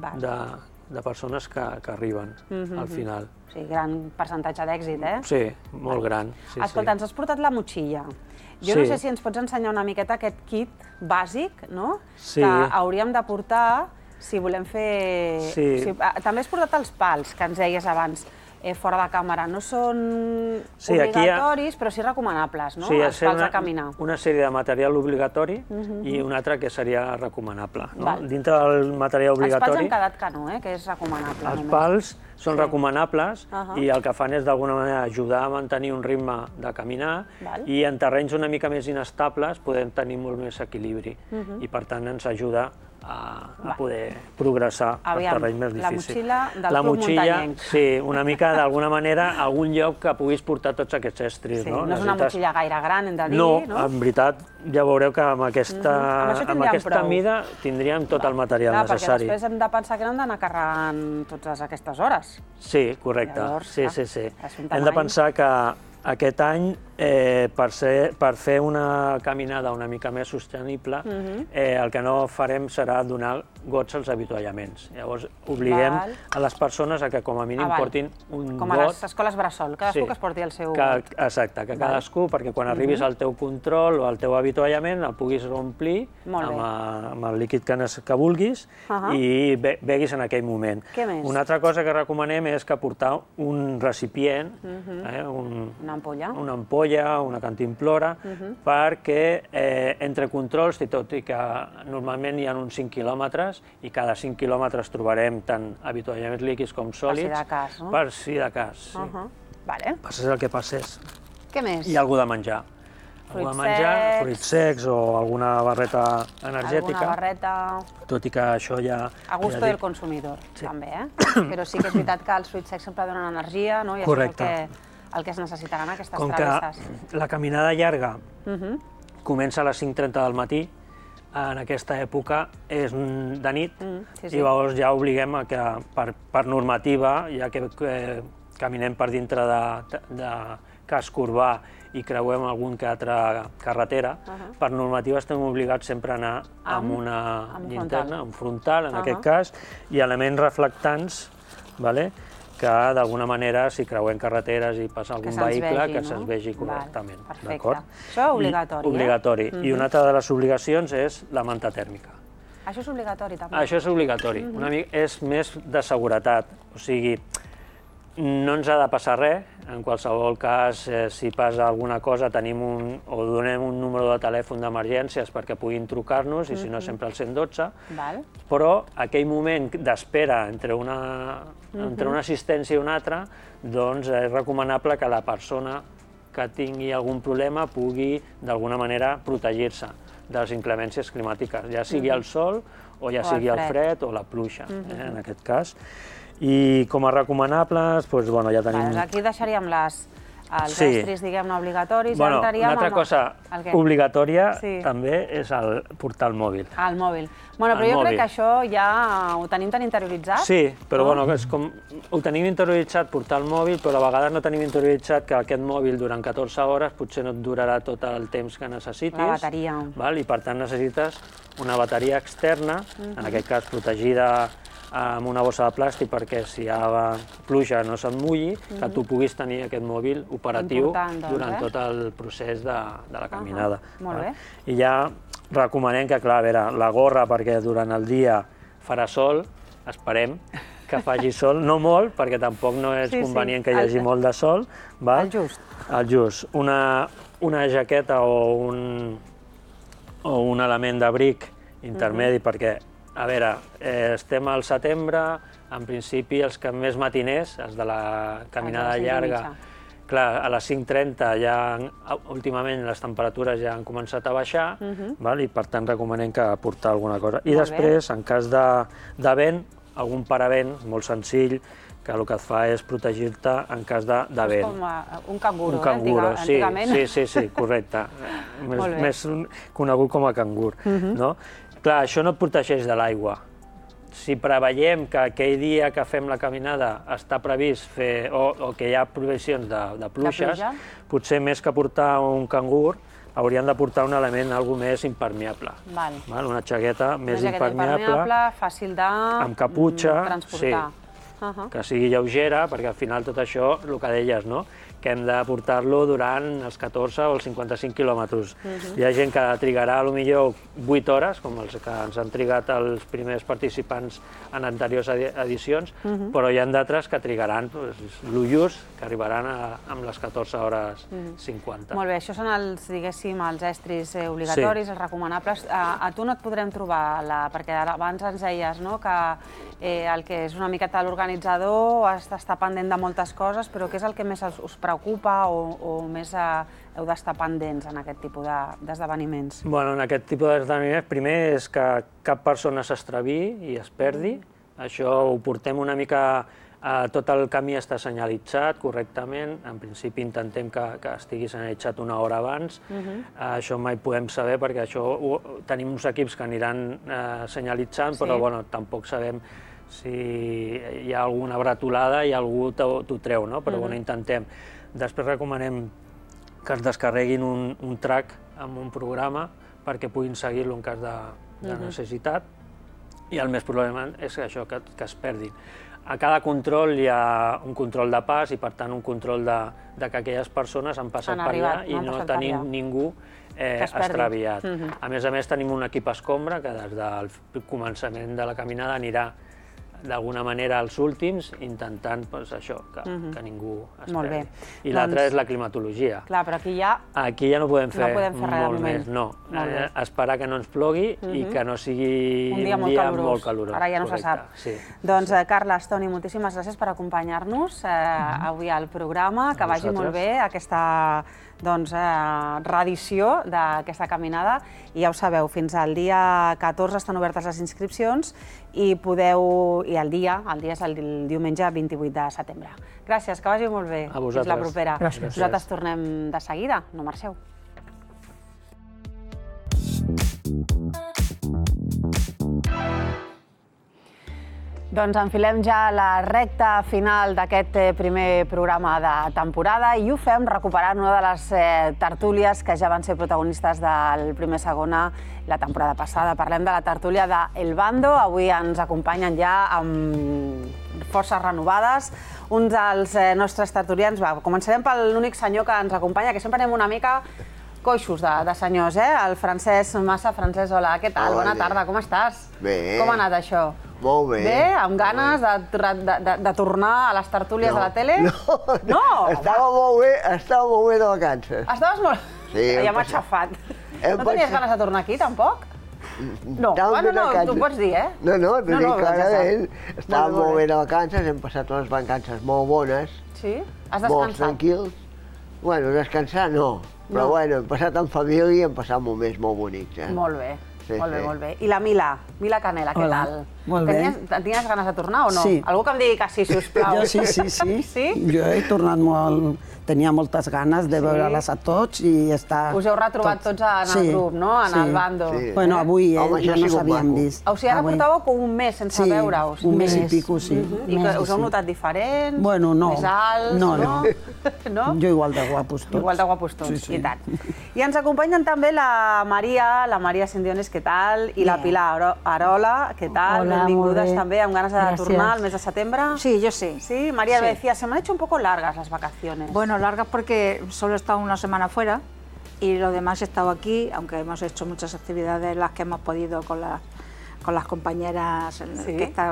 de persones que arriben al final. O sigui, gran percentatge d'èxit, eh? Sí, molt gran. Escolta, ens has portat la motxilla. Jo no sé si ens pots ensenyar una miqueta aquest kit bàsic, no? Que hauríem de portar si volem fer... També has portat els pals, que ens deies abans, fora de càmera. No són obligatoris, però sí recomanables, no? Els pals de caminar. Una sèrie de material obligatori i un altre que seria recomanable. Dintre del material obligatori... Els pals hem quedat que no, que és recomanable. Els pals són recomanables i el que fan és d'alguna manera ajudar a mantenir un ritme de caminar i en terrenys una mica més inestables podem tenir molt més equilibri i per tant ens ajuda a poder progressar per terrenys més difícils. La motxilla del club muntanyenc. Sí, una mica d'alguna manera a algun lloc que puguis portar tots aquests estris. No és una motxilla gaire gran, hem de dir. No, en veritat ja veureu que amb aquesta mida tindríem tot el material necessari. Perquè després hem de pensar que no hem d'anar carregant totes aquestes hores. Sí, correcte. Sí. Hem de pensar que aquest any per fer una caminada una mica més sostenible, el que no farem serà donar gots als avituallaments. Llavors, obliguem a les persones a que com a mínim portin un got. Com a les escoles bressol, cadascú que es porti el seu got. Exacte, que cadascú, perquè quan arribis al teu control o al teu avituallament el puguis omplir amb el líquid que vulguis i beguis en aquell moment. Què més? Una altra cosa que recomanem és que portar un recipient, una ampolla, una cantimplora, perquè entre controls, tot i que normalment hi ha uns 5 quilòmetres, i cada 5 quilòmetres trobarem tant avituallaments líquids com sòlids. Per si de cas, no? Per si de cas, sí. Passés el que passés. Què més? I algú de menjar. Fruits secs o alguna barreta energètica. Alguna barreta... Tot i que això ja... A gusto del consumidor, també, Però sí que és veritat que els fruits secs sempre donen energia, no? I correcte. Això és el que es necessitaran aquestes travesses. Com que la caminada llarga comença a les 5:30 del matí, en aquesta època és de nit, i llavors ja obliguem a que, per normativa, ja que caminem per dintre de casc urbà i creuem algun que altra carretera, per normativa estem obligats sempre a anar amb una llinterna, un frontal en aquest cas, i elements reflectants, que d'alguna manera, si creuem carreteres i passa algun vehicle, que se'ns vegi correctament. Perfecte. Això és obligatori, Obligatori. I una altra de les obligacions és la manta tèrmica. Això és obligatori, també? Això és obligatori. És més de seguretat. O sigui, no ens ha de passar res. En qualsevol cas, si passa alguna cosa, donem un número de telèfon d'emergències perquè puguin trucar-nos, i si no, sempre al 112. Però aquell moment d'espera entre una assistència i una altra, doncs és recomanable que la persona que tingui algun problema pugui, d'alguna manera, protegir-se de les inclemències climàtiques, ja sigui el sol o ja sigui el fred o la pluja, en aquest cas. I com a recomanables, ja tenim... Aquí deixaríem els estris, diguem-ne, obligatoris, i entraríem amb... Una altra cosa obligatòria també és portar el mòbil. El mòbil. Però jo crec que això ja ho tenim tan interioritzat. Sí, però ho tenim interioritzat portar el mòbil, però a vegades no tenim interioritzat que aquest mòbil durant 14 hores potser no et durarà tot el temps que necessitis. La bateria. I per tant necessites una bateria externa, en aquest cas protegida amb una bossa de plàstic perquè si hi ha pluja no se'n mulli, que tu puguis tenir aquest mòbil operatiu durant tot el procés de la caminada. Molt bé. I ja recomanem que, clar, la gorra, perquè durant el dia farà sol, esperem que faci sol, no molt, perquè tampoc no és convenient que hi hagi molt de sol. El just. El just. Una jaqueta o un element d'abric intermedi, perquè a veure, estem al setembre, en principi els que més matiners, els de la caminada llarga, clar, a les 5:30 ja últimament les temperatures ja han començat a baixar, i per tant recomanem que portar alguna cosa. I després, en cas de vent, algun paravent molt senzill, que el que et fa és protegir-te en cas de vent. És com un canguro, antigament. Sí, correcte. Més conegut com a cangur. Clar, això no et protegeix de l'aigua. Si preveiem que aquell dia que fem la caminada està previst fer, o que hi ha previsions de pluges, potser més que portar un cangur, haurien de portar un element més impermeable. Una jaqueta més impermeable, fàcil de transportar. Que sigui lleugera, perquè al final tot això, el que deies, que hem de portar-lo durant els 14 o els 55 quilòmetres. Hi ha gent que trigarà potser 8 hores, com els que ens han trigat els primers participants en anteriors edicions, però hi ha d'altres que trigaran l'Ullús, que arribaran amb les 14 hores 50. Molt bé, això són diguéssim, els estris obligatoris, els recomanables. A tu no et podrem trobar, perquè abans ens deies que el que és una miqueta l'organitzador està pendent de moltes coses, però què és el que més us preocupa o més heu d'estar pendents en aquest tipus d'esdeveniments? En aquest tipus d'esdeveniments, primer és que cap persona s'extraviï i es perdi. Això ho portem una mica... Tot el camí està senyalitzat correctament. En principi intentem que estigui senyalitzat una hora abans. Això mai podem saber perquè tenim uns equips que aniran senyalitzant, però tampoc sabem si hi ha alguna bretolada i algú t'ho treu, però intentem. Després recomanem que es descarreguin un track amb un programa perquè puguin seguir-lo en cas de necessitat, i el més probablement és això, que es perdin. A cada control hi ha un control de pas i, per tant, un control de que aquelles persones han passat per allà i no tenim ningú extraviat. A més, tenim un equip escombra que des del començament de la caminada anirà d'alguna manera als últims, intentant això, que ningú es perdi. I l'altra és la climatologia. Clar, però aquí ja... Aquí ja no podem fer molt més, no. Esperar que no ens plogui i que no sigui un dia molt calorós. Ara ja no se sap. Doncs, Carles, Toni, moltíssimes gràcies per acompanyar-nos avui al programa. Que vagi molt bé aquesta reedició d'aquesta caminada. I ja ho sabeu, fins al dia 14 estan obertes les inscripcions i el dia és el diumenge 28 de setembre. Gràcies, que vagi molt bé. A vosaltres. Fins la propera. Gràcies. Nosaltres tornem de seguida, no marxeu. Doncs enfilem ja la recta final d'aquest primer programa de temporada i ho fem recuperant una de les tertúlies que ja van ser protagonistes del primer segona la temporada passada. Parlem de la tertúlia d'El Bando. Avui ens acompanyen ja amb forces renovades uns dels nostres tertulians. Començarem per l'únic senyor que ens acompanya, que sempre anem una mica coixos de senyors, el Francesc Massa. Francesc, hola, què tal? Bona tarda, com estàs? Bé. Com ha anat això? Molt bé. Bé? Amb ganes de tornar a les tertúlies de la tele? No! Estava molt bé de vacances. Estaves molt... Sí. Ja m'ha xafat. No tenies ganes de tornar aquí, tampoc? No, tu pots dir, eh? No, t'ho dic clarament. Estàvem molt bé de vacances, hem passat unes vacances molt bones. Sí? Has descansat? Molt tranquils. Bueno, descansar no, però bueno, hem passat en família i hem passat moments molt bonics. Molt bé. Molt bé. I la Mila Canela, què tal? Molt bé. Tenies ganes de tornar o no? Sí. Algú que em digui que sí, sisplau. Jo sí. Sí? Jo he tornat molt... Tenia moltes ganes de veure-les a tots i estar... Us heu retrobat tots en el grup, no? En el bando. Bueno, avui ja no s'havien vist. O sigui, ara portàveu com un mes sense veure-us. Un mes i pico, sí. I us heu notat diferents? Bueno, no. Més alts? No. Jo igual de guapos tots. Igual de guapos tots, i tant. I ens acompanyen també la Maria Sindiones, què tal? I la Pilar Arola, què tal? Benvingudes també, amb ganes de tornar al mes de setembre. Sí, yo sí. Sí, María me decía, se me han hecho un poco largas las vacaciones. Bueno, largas porque solo he estado una semana fuera y lo demás he estado aquí, aunque hemos hecho muchas actividades las que hemos podido con las compañeras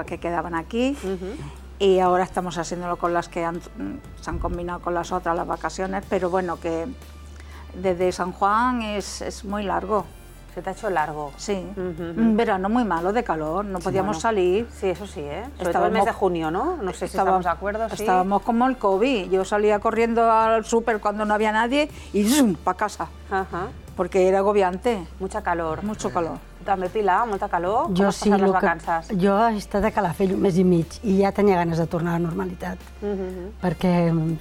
que quedaban aquí. Y ahora estamos haciéndolo con las que se han combinado con las otras las vacaciones, pero bueno, que desde San Juan es muy largo. ¿Se te ha hecho largo? Sí, un verano muy malo de calor, no podíamos salir. Sí, eso sí, ¿eh? Sobre todo el mes de junio, ¿no? No sé si estamos de acuerdo, sí. Estábamos como el COVID, yo salía corriendo al súper cuando no había nadie y ¡zum!, para casa, porque era agobiante. Mucha calor. Mucho calor. Tu també, Pilar, molta calor? Com has Sí, passat les vacances? jo he estat a Calafell un mes i mig i ja tenia ganes de tornar a la normalitat, perquè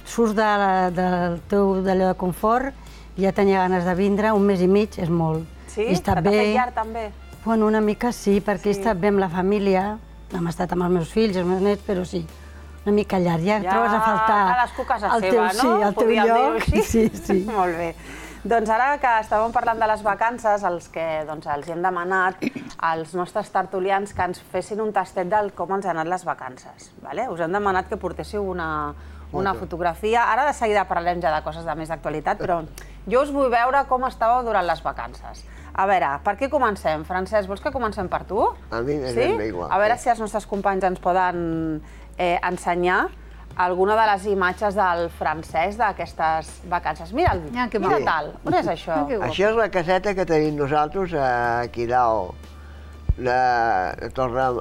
surts del teu d'allò de confort i ja tenia ganes de vindre, un mes i mig és molt. Sí? T'ha fet llarg també? Bueno, una mica sí, perquè he estat bé amb la família, hem estat amb els meus fills, els meus nets, però sí, una mica llarg. Ja trobes a faltar cadascú casa seva, no? Sí, el teu lloc. Sí. Molt bé. Doncs ara que estàvem parlant de les vacances, els que els hem demanat als nostres tertulians que ens fessin un tastet del com ens han anat les vacances. Us hem demanat que portéssiu una fotografia. Ara de seguida parlem ja de coses de més d'actualitat, però jo us vull veure com estàveu durant les vacances. A veure, per què comencem? Francesc, vols que comencem per tu? A mi m'és igual. A veure si els nostres companys ens poden ensenyar alguna de les imatges del Francesc d'aquestes vacances. Mira'l, mira tal. On és això? Això és la caseta que tenim nosaltres aquí dalt, de Torre...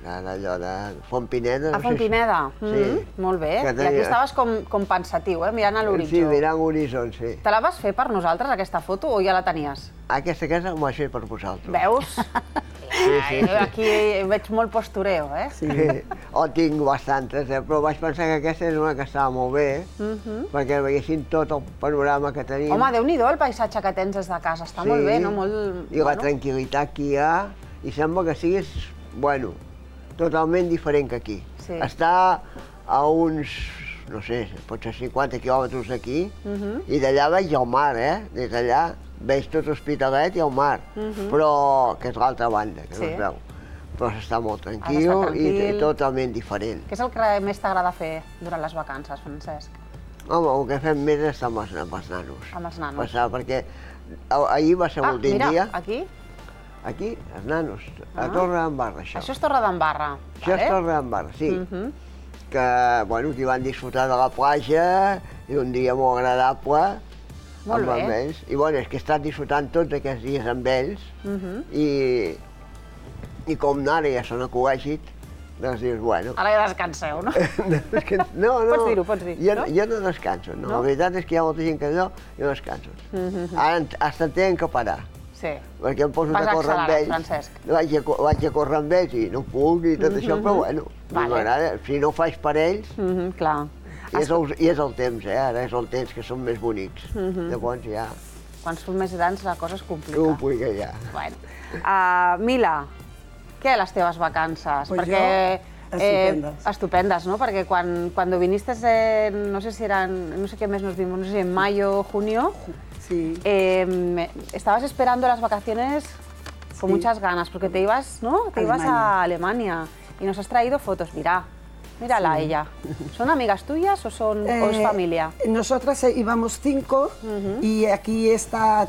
d'allò de Fontpineda. A Fontpineda? Sí. Molt bé. I aquí estaves com pensatiu, mirant a l'horitzó. Sí, mirant l'horitzó, sí. Te la vas fer per nosaltres, aquesta foto, o ja la tenies? Aquesta casa m'ho vaig fer per vosaltres. Veus? Aquí veig molt postureo, eh? Sí. Tinc bastantes, però vaig pensar que aquesta és una que estava molt bé, perquè veiessin tot el panorama que tenim. Home, Déu-n'hi-do el paisatge que tens des de casa, està molt bé, no? I la tranquil·litat que hi ha, i sembla que siguis, bueno, totalment diferent que aquí. Està a uns no sé, potser 50 quilòmetres d'aquí, i d'allà veig el mar, des d'allà veig tot l'Hospitalet i el mar, però que és l'altra banda, que no es veu. Però s'està molt tranquil i totalment diferent. Què és el que més t'agrada fer durant les vacances, Francesc? Home, el que fem més és estar amb els nanos. Amb els nanos. Passar, perquè ahir va ser l'últim dia. Mira, aquí? Aquí, els nanos, a Torredembarra, això. Això és Torredembarra, vale? Això és Torredembarra, sí. Que, bueno, que van disfrutar de la platja i un dia molt agradable amb ells. I, bueno, és que he estat disfrutant tots aquests dies amb ells i com ara ja són a col·legit, doncs dius, bueno... Ara ja descanseu, no? No, no. Pots dir-ho, pots dir. Jo no descanso, no. La veritat és que hi ha molta gent que no, jo descanso. Ara hasta tenen que parar. Sí. Perquè em poso a córrer amb ells. Francesc. Vaig a córrer amb ells i no puc i tot això, però bueno, m'agrada. Si no ho faig per ells... Clar. I és el temps, ara és el temps que són més bonics. Llavors ja... Quan són més grans la cosa es complica. Complica ja. Bueno. Mila, què les teves vacances? Pues perquè estupendes. Estupendes, ¿no? Porque cuando viniste, no sé si eran, no sé qué mes nos vimos, no sé si en mayo, junio, sí. Estabas esperando las vacaciones con muchas ganas, porque te ibas, ¿no? Te ibas a Alemania y nos has traído fotos, mírala ella. ¿Son amigas tuyas o es familia? Nosotras íbamos 5 y aquí esta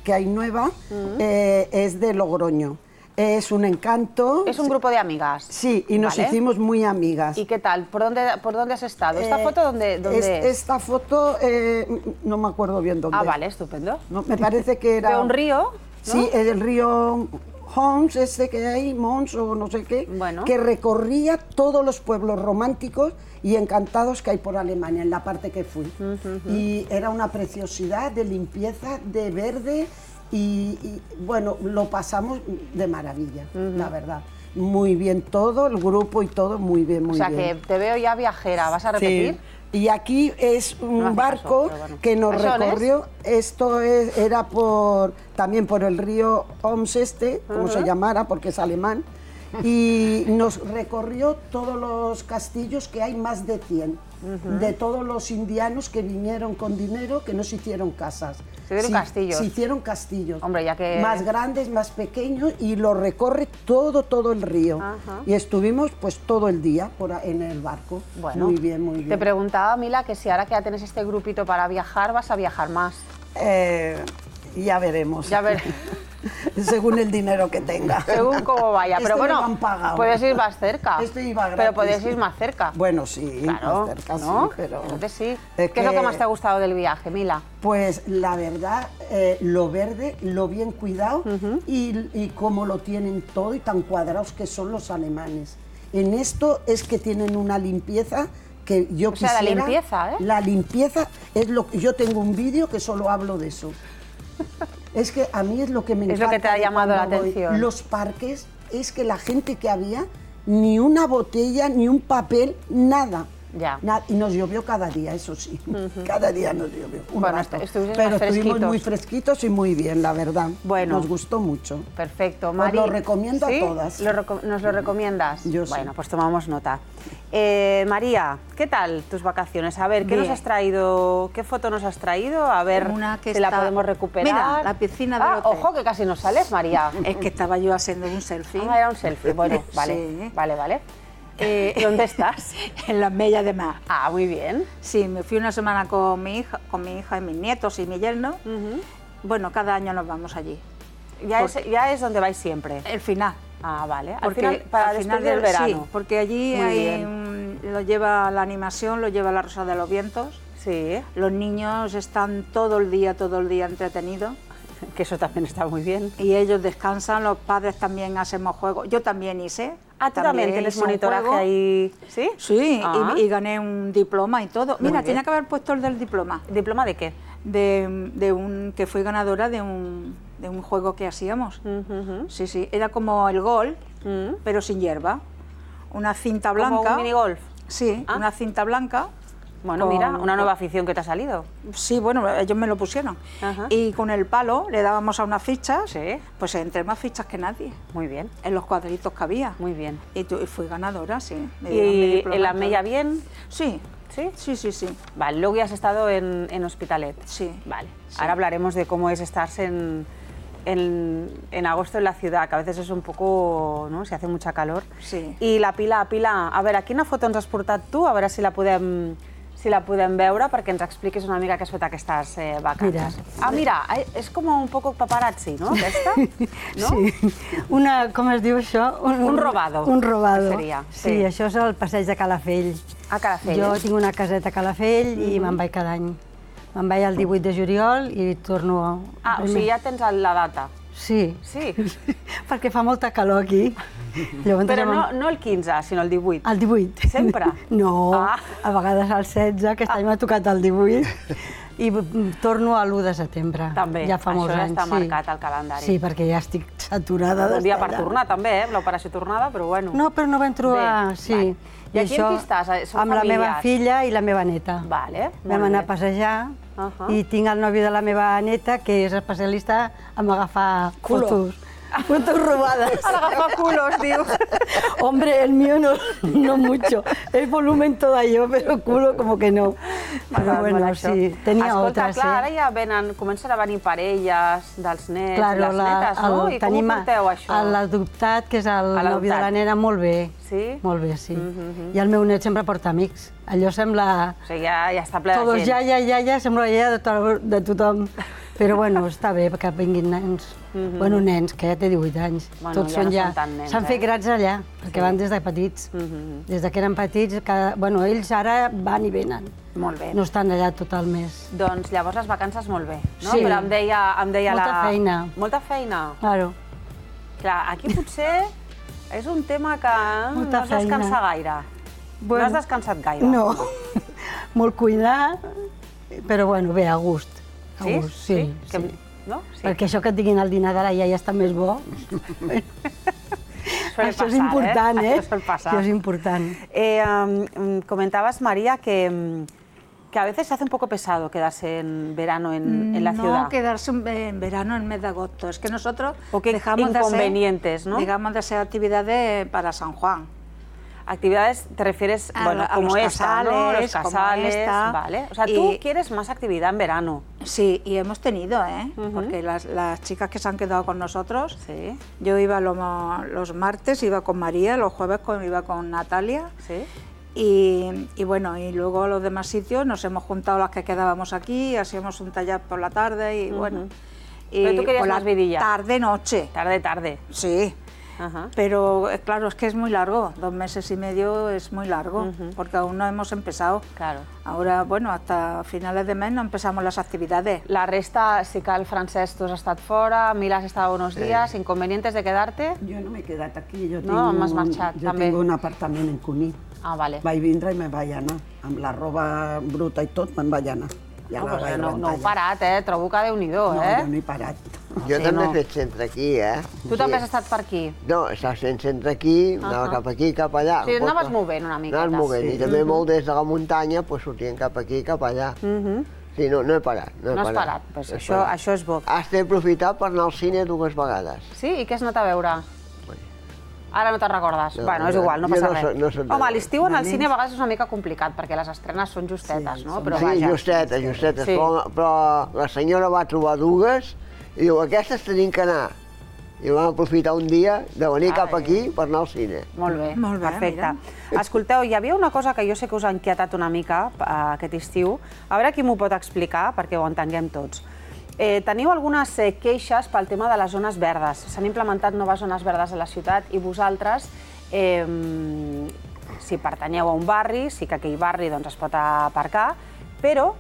que hay nueva es de Logroño. Es un encanto. Es un grupo de amigas. Sí, y nos hicimos muy amigas. ¿Y qué tal? ¿Por dónde has estado? ¿Esta foto dónde es? Esta foto no me acuerdo bien dónde. Ah, vale, estupendo. No, me parece que era... ¿De un río? ¿No? Sí, el río Homs, que hay, Mons o no sé qué, que recorría todos los pueblos románticos y encantados que hay por Alemania, en la parte que fui. Y era una preciosidad de limpieza, de verde. Y bueno, lo pasamos de maravilla, la verdad. Muy bien todo, el grupo y todo, muy bien, muy bien. O sea, que te veo ya viajera, ¿vas a repetir? Sí. Y aquí es un barco que nos recorrió, esto era también por el río Oms como se llamara, porque es alemán, y nos recorrió todos los castillos, que hay más de 100, de todos los indianos que vinieron con dinero, que nos hicieron casas. ¿Se hicieron castillos? Se hicieron castillos. Hombre, ya que... Más grandes, más pequeños, y lo recorre todo el río. Y estuvimos pues todo el día en el barco. Bueno, muy bien, muy bien. Te preguntaba, Mila, que si ahora que ya tenés este grupito para viajar, ¿vas a viajar más? Ya veremos. Ya veremos. Según el dinero que tenga. Según cómo vaya. Pero bueno, puedes ir más cerca. Esto iba gratis. Pero puedes ir más cerca. Bueno, sí, claro, más cerca, ¿no? sí, pero... Entonces sí. ¿Qué es lo que más te ha gustado del viaje, Mila? Pues la verdad, lo verde, lo bien cuidado y cómo lo tienen todo y tan cuadrados que son los alemanes. En esto es que tienen una limpieza que yo quisiera... O sea, la limpieza, ¿eh? La limpieza es lo que... Yo tengo un vídeo que solo hablo de eso. Es que a mí es lo que me encanta. Es lo que te ha llamado la atención. Los parques, es que la gente que había, ni una botella, ni un papel, nada. Ya. Y nos llovió cada día, eso sí. Cada día nos llovió. Bueno, pero estuvimos muy fresquitos y muy bien, la verdad. Bueno. Nos gustó mucho. Perfecto. Mari, os lo recomiendo a todas. ¿Nos lo recomiendas? Yo sí. Bueno, pues tomamos nota. María, ¿qué tal tus vacaciones? A ver, ¿qué nos has traído? ¿Qué foto nos has traído? A ver si la podemos recuperar. Mira, la piscina del hotel. Ojo, que casi nos sales, María. Es que estaba yo haciendo un selfie. Ah, era un selfie. Bueno, vale, sí. vale. ¿Dónde estás? En las Mellas de Mar. Ah, muy bien. Sí, me fui una semana con mi hija y mis nietos y mi yerno. Bueno, cada año nos vamos allí. Ya es donde vais siempre. El final. Ah, vale. Porque al final del verano. Sí, porque allí lo lleva la animación, lo lleva la Rosa de los Vientos. Sí. Los niños están todo el día entretenidos. Que eso también está muy bien. Y ellos descansan, los padres también hacemos juegos. Yo también hice. Ah, ¿tú también tienes monitoraje ahí? ¿Sí? Sí, y gané un diploma y todo. Mira, tenía que haber puesto el del diploma. ¿Diploma de qué? Que fui ganadora de un juego que hacíamos. Sí, era como el golf, pero sin hierba. Una cinta blanca. ¿Como un minigolf? Sí, una cinta blanca Bueno, mira, una nueva afición que te ha salido. Sí, bueno, ellos me lo pusieron. Y con el palo le dábamos a unas fichas, pues entré más fichas que nadie. Muy bien. En los cuadritos que había. Muy bien. Y fui ganadora, sí. ¿Y en la Mella bien? Sí. ¿Sí? Sí, sí, sí. Vale, luego ya has estado en Hospitalet. Sí. Vale. Sí. Ahora hablaremos de cómo es estarse en agosto en la ciudad, que a veces es un poco, no?, si hace mucha calor. Sí. I la Pilar, a veure, quina foto ens has portat tu? A veure si la podem veure, perquè ens expliquis una mica què has fet aquestes vacances. Mira, és com un poc paparazzi, no, aquesta? No? Sí. Com es diu això? Un robado. Un robado. Seria. Sí, això és el passeig de Calafell. A Calafell. Jo tinc una caseta a Calafell i me'n vaig cada any. Me'n vaig el 18 de juliol i torno... O sigui, ja tens la data. Sí. Sí? Perquè fa molta calor aquí. Però no el 15, sinó el 18. El 18. Sempre? No, a vegades el 16, aquest any m'ha tocat el 18. I torno a l'1 de setembre. També, ja fa molts anys. Això ja està marcat al calendari. Sí, perquè ja estic saturada d'estar allà. Un dia per tornar també, l'operació tornada, però bueno. No, però no vam trobar... Sí. I aquí amb qui estàs? Amb la meva filla i la meva neta. Vale, vam anar a passejar i tinc el nòvio de la meva neta, que és especialista en agafar fotos. Fotos robades. A agafar culos, diu. Hombre, el mío no mucho. El volumen todo yo, pero culo como que no. Però bueno, sí, tenia otras. Escolta, clar, ara ja comencen a venir parelles dels nets, les netes, no? I com ho porteu, això? L'adoptat, que és el nòvio de la nena, molt bé. Sí? Molt bé, sí. I el meu net sempre porta amics. Allò sembla... O sigui, ja està ple de gent. Todos ja, sembla ja de tothom. Però bueno, està bé que vinguin nens. Bueno, nens, que ja té 18 anys. Tots són ja... S'han fet grans allà, perquè van des de petits. Des que eren petits, bueno, ells ara van i venen. Molt bé. No estan allà tot el mes. Doncs llavors les vacances molt bé, no? Sí. Però em deia molta feina. Molta feina? Claro. Clar, aquí potser és un tema que no has descansat gaire. No has descansat gaire. No, molt cuidar, però bueno, bé, a gust. Sí? Sí. Perquè això que et diguin el dinar d'ara ja està més bo. Això és important, ¿eh? Això sol passar. Això és important. Comentabas, María, que a veces se hace un poco pesado quedarse en verano en la ciudad. No, quedarse en verano en el mes de agosto. Es que nosotros dejamos inconvenientes, ¿no? Dejamos de hacer actividades para San Juan. Actividades, te refieres, bueno, como esta, ¿no? Los casales, vale. O sea, tú quieres más actividad en verano. Sí, y hemos tenido, ¿eh? Porque las chicas que se han quedado con nosotros, yo iba los martes, iba con María, los jueves iba con Natalia. Sí. Y bueno, y luego los demás sitios nos hemos juntado las que quedábamos aquí, hacíamos un taller por la tarde y bueno. Pero tú querías más vidilla. Tarde-noche. Tarde-tarde. Sí. Pero claro, es que es muy largo, 2 meses y medio es muy largo, porque aún no hemos empezado. Claro. Ahora, bueno, hasta finales de mes no empezamos las actividades. La resta, sí que el Francesc, tu has estat fora, Mila has estado unos días, ¿inconvenientes de quedarte? Jo no m'he quedat aquí, jo m'has marxat, també. tinc un apartament en Cuní. Ah, vale. Vaig vindre i me'n vaig anar, amb la roba bruta i tot, me'n vaig anar. No heu parat, trobo que Déu-n'hi-do, No, jo no he parat. Jo també he fet centre aquí, Tu també has estat per aquí? No, estava fent centre aquí, anava cap aquí, cap allà. Sí, anaves movent una miqueta. Anaves movent, i també molt des de la muntanya, sortien cap aquí, cap allà. Sí, no he parat. No has parat, això és bo. Has d'aprofitar per anar al cine 2 vegades. Sí? I què has anat a veure? Ara no te'n recordes? Bueno, és igual, no passa res. Home, l'estiu en el cine a vegades és una mica complicat, perquè les estrenes són justetes, no? Sí, justetes, però la senyora va trobar 2 i diu, aquestes tenim que anar. I vam aprofitar un dia de venir cap aquí per anar al cine. Molt bé, perfecte. Escolteu, hi havia una cosa que jo sé que us ha inquietat una mica aquest estiu. A veure qui m'ho pot explicar, perquè ho entenguem tots. Teniu algunes queixes pel tema de les zones verdes. S'han implementat noves zones verdes a la ciutat i vosaltres, si pertanyeu a un barri, sí que aquell barri es pot aparcar, però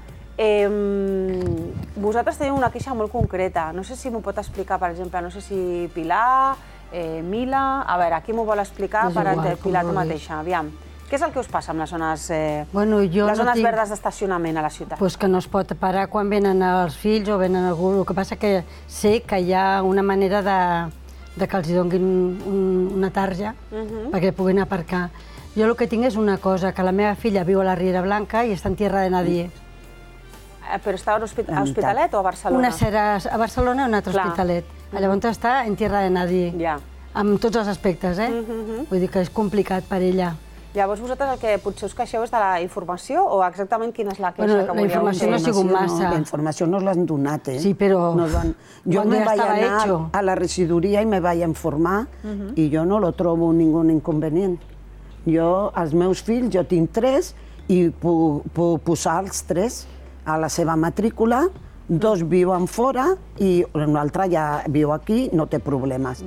vosaltres teniu una queixa molt concreta. No sé si m'ho pot explicar, per exemple, no sé si Pilar, Mila... A veure, qui m'ho vol explicar? Pilar, tu mateixa, aviam. Què és el que us passa amb les zones verdes d'estacionament a la ciutat? Doncs que no es pot parar quan venen els fills o venen algú. El que passa que sé que hi ha una manera de que els donin una tarja perquè puguin aparcar. Jo el que tinc és una cosa, que la meva filla viu a la Riera Blanca i està en tierra de nadie. Però està a Hospitalet o a Barcelona? Una serà a Barcelona i una altra a Hospitalet. Llavors està en tierra de nadie. Ja. Amb tots els aspectes, Vull dir que és complicat per ella. Llavors vosaltres el que potser us queixeu és de la informació o exactament quina és la queixa que volíeu? La informació no ha sigut massa. La informació nos l'han donat, Sí, però yo me vaig anar a la regidoria i me vaig informar i jo no lo trobo ningú inconvenient. Jo, els meus fills, jo tinc 3 i puc posar els 3 a la seva matrícula, 2 viuen fora i l'altre ja viu aquí, no té problemes.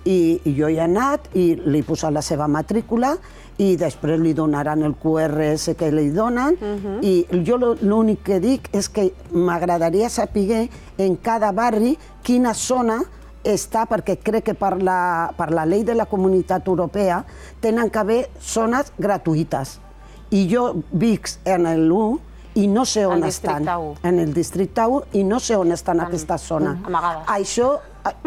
I jo hi he anat i li he posat la seva matrícula i després li donaran el QRS que li donen i jo l'únic que dic és que m'agradaria saber en cada barri quina zona està, perquè crec que per la llei de la Comunitat Europea tenen que haver zones gratuïtes. I jo visc en l'1 i no sé on estan. En el districte 1 i no sé on estan aquestes zones.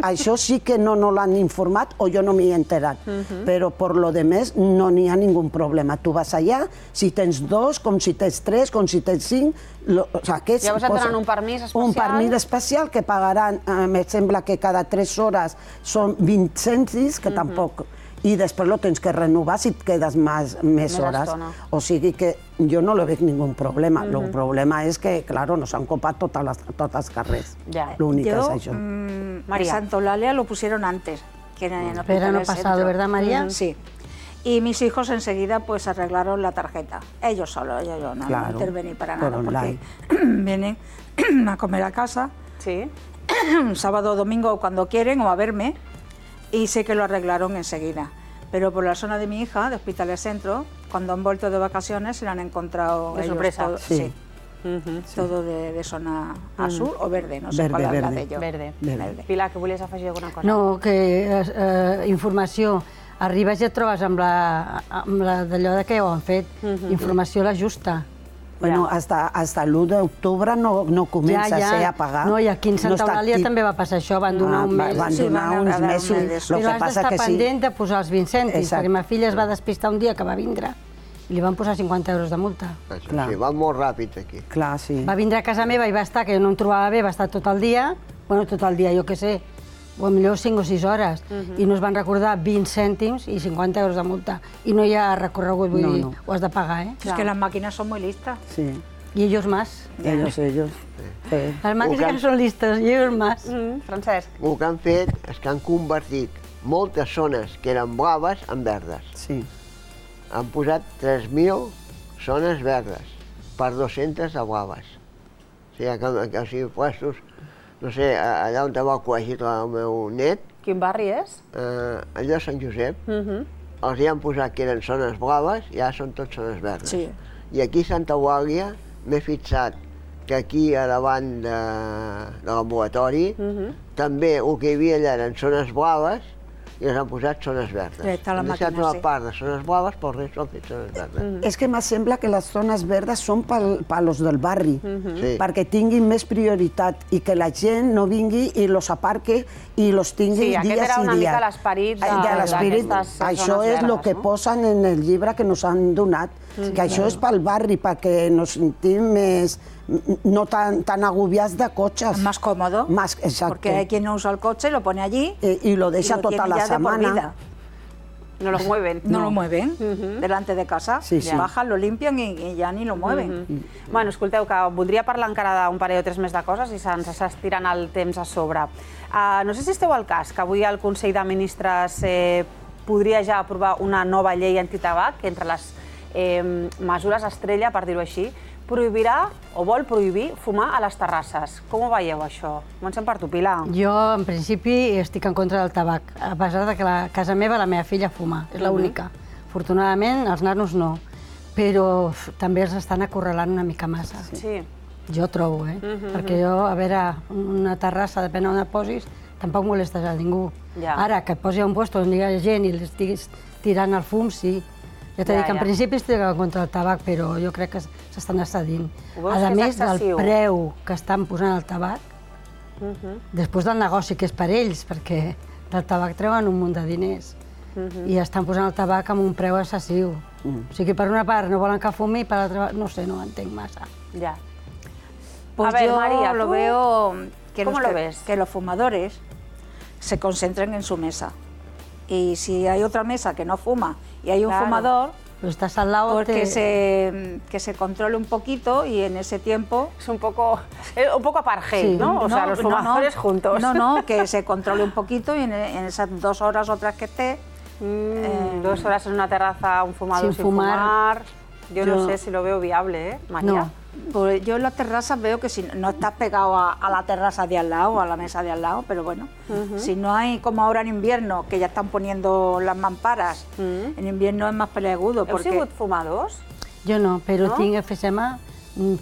Això sí que no l'han informat o jo no m'hi he enterat. Però per lo demés no n'hi ha ningú problema. Tu vas allà, si tens 2, com si tens 3, com si tens 5... Llavors et donen un permís especial? Un permís especial que pagaran, em sembla que cada 3 hores són 20 cèntims, que tampoc... I després lo tens que renovar si et quedes més hores. O sigui que jo no li veig ningú problema. El problema és que, clar, nos han copat tots els carrers. L'únic és això. En Santa Eulalia lo pusieron antes. Verano pasado, ¿verdad, María? Sí. Y mis hijos enseguida pues arreglaron la tarjeta. Ellos solos, yo no intervení para nada. Porque vienen a comer a casa, sábado o domingo cuando quieren o a verme. Y sé que lo arreglaron enseguida. Pero por la zona de mi hija, de Hospitalet Centro, cuando han vuelto de vacaciones, se la han encontrado de sorpresa. Todo de zona azul o verde, no sé cuál habla de ello. Verde. Pilar, que volies afegir alguna cosa? No, que informació. Arribes i et trobes amb d'allò que ho han fet. Informació la justa. Bueno, hasta l'1 d'octubre no comença a ser a pagar. No, i aquí en Santa Eulàlia també va passar això, van donar un mes. Van donar uns mesos. Però has d'estar pendent de posar els 20 cèntims, perquè ma filla es va despistar un dia que va vindre i li van posar 50 euros de multa. Sí, va molt ràpid aquí. Clar, sí. Va vindre a casa meva i va estar, que jo no em trobava bé, va estar tot el dia, bueno, tot el dia, jo què sé, o millor 5 o 6 hores, i no es van recordar 20 cèntims i 50 euros de multa. I no hi ha recorregut, vull dir, ho has de pagar, Es que las máquinas son muy listas. Sí. Y ellos más. Ellos. Las máquinas son listas, y ellos más. Francesc. El que han fet és que han convertit moltes zones que eren blaves en verdes. Sí. Han posat 3.000 zones verdes per 200 de blaves. O sigui, puestos, no sé, allà on va al col·legi el meu net. Quin barri és? Allò de Sant Josep. Els hi han posat que eren zones blaves i ara són tot zones verdes. I aquí a Santa Eulàlia m'he fixat que aquí a davant de l'ambulatori també el que hi havia allà eren zones blaves i les han posat zones verdes. Han deixat una part de zones blaves, però el rest ho han fet zones verdes. És que me sembla que les zones verdes són per los del barri, perquè tinguin més prioritat i que la gent no vingui i los aparque i los tingui dia i dia. Sí, aquest era una mica l'esperit d'aquestes zones. Això és el que posen en el llibre que ens han donat, que això és pel barri, perquè ens sentim més no tan agobiados de coches. Más cómodo. Exacto. Porque hay quien no usa el coche, lo pone allí y lo deja toda la semana. No lo mueven. No lo mueven delante de casa. Bajan, lo limpian i ja ni lo mueven. Bueno, escolteu, que voldria parlar encara d'un parell o 3 més de coses i se'ns està estirant el temps a sobre. No sé si esteu al cas que avui el Consell de Ministres podria ja aprovar una nova llei antitabac, que entre les mesures estrella, per dir-ho així, prohibirà o vol prohibir fumar a les terrasses. Com ho veieu, això? Comencem per tu, Pilar. Jo, en principi, estic en contra del tabac, a pesar que a casa meva la meva filla fuma, és l'única. Afortunadament, els nanos no, però també els estan acorralant una mica massa. Sí. Jo trobo, perquè jo, a veure, una terrassa, depèn on et posis, tampoc molestes a ningú. Ara, que et posi a un lloc on hi ha gent i l'estiguis tirant el fum, sí. Ja t'he dit que en principi estic en contra del tabac, però jo crec que s'estan excedint. A més del preu que estan posant el tabac, després del negoci que és per ells, perquè del tabac treuen un munt de diners. i estan posant el tabac amb un preu excessiu. O sigui, per una part no volen que fumi, per l'altra part, no sé, no ho entenc massa. Ja. Pues A ver, yo María, lo ¿tú veo cómo lo ves? Que los fumadores se concentren en su mesa. Y si hay otra mesa que no fuma y hay un fumador, pues estás al lado, pues que se controle un poquito y en ese tiempo... Es un poco apartheid, ¿no? O sea, los fumadores juntos. No, que se controle un poquito y en esas 2 horas o 3 que esté... 2 horas en una terraza, un fumador sin fumar. Yo no sé si lo veo viable, ¿eh, María? No. Pues yo en las terrazas veo que si no estás pegado a la terraza de al lado, a la mesa de al lado, pero bueno, si no hay, como ahora en invierno, que ya están poniendo las mamparas, en invierno es más peleagudo. ¿Heu sigut fumadors? Jo no, però tinc efecema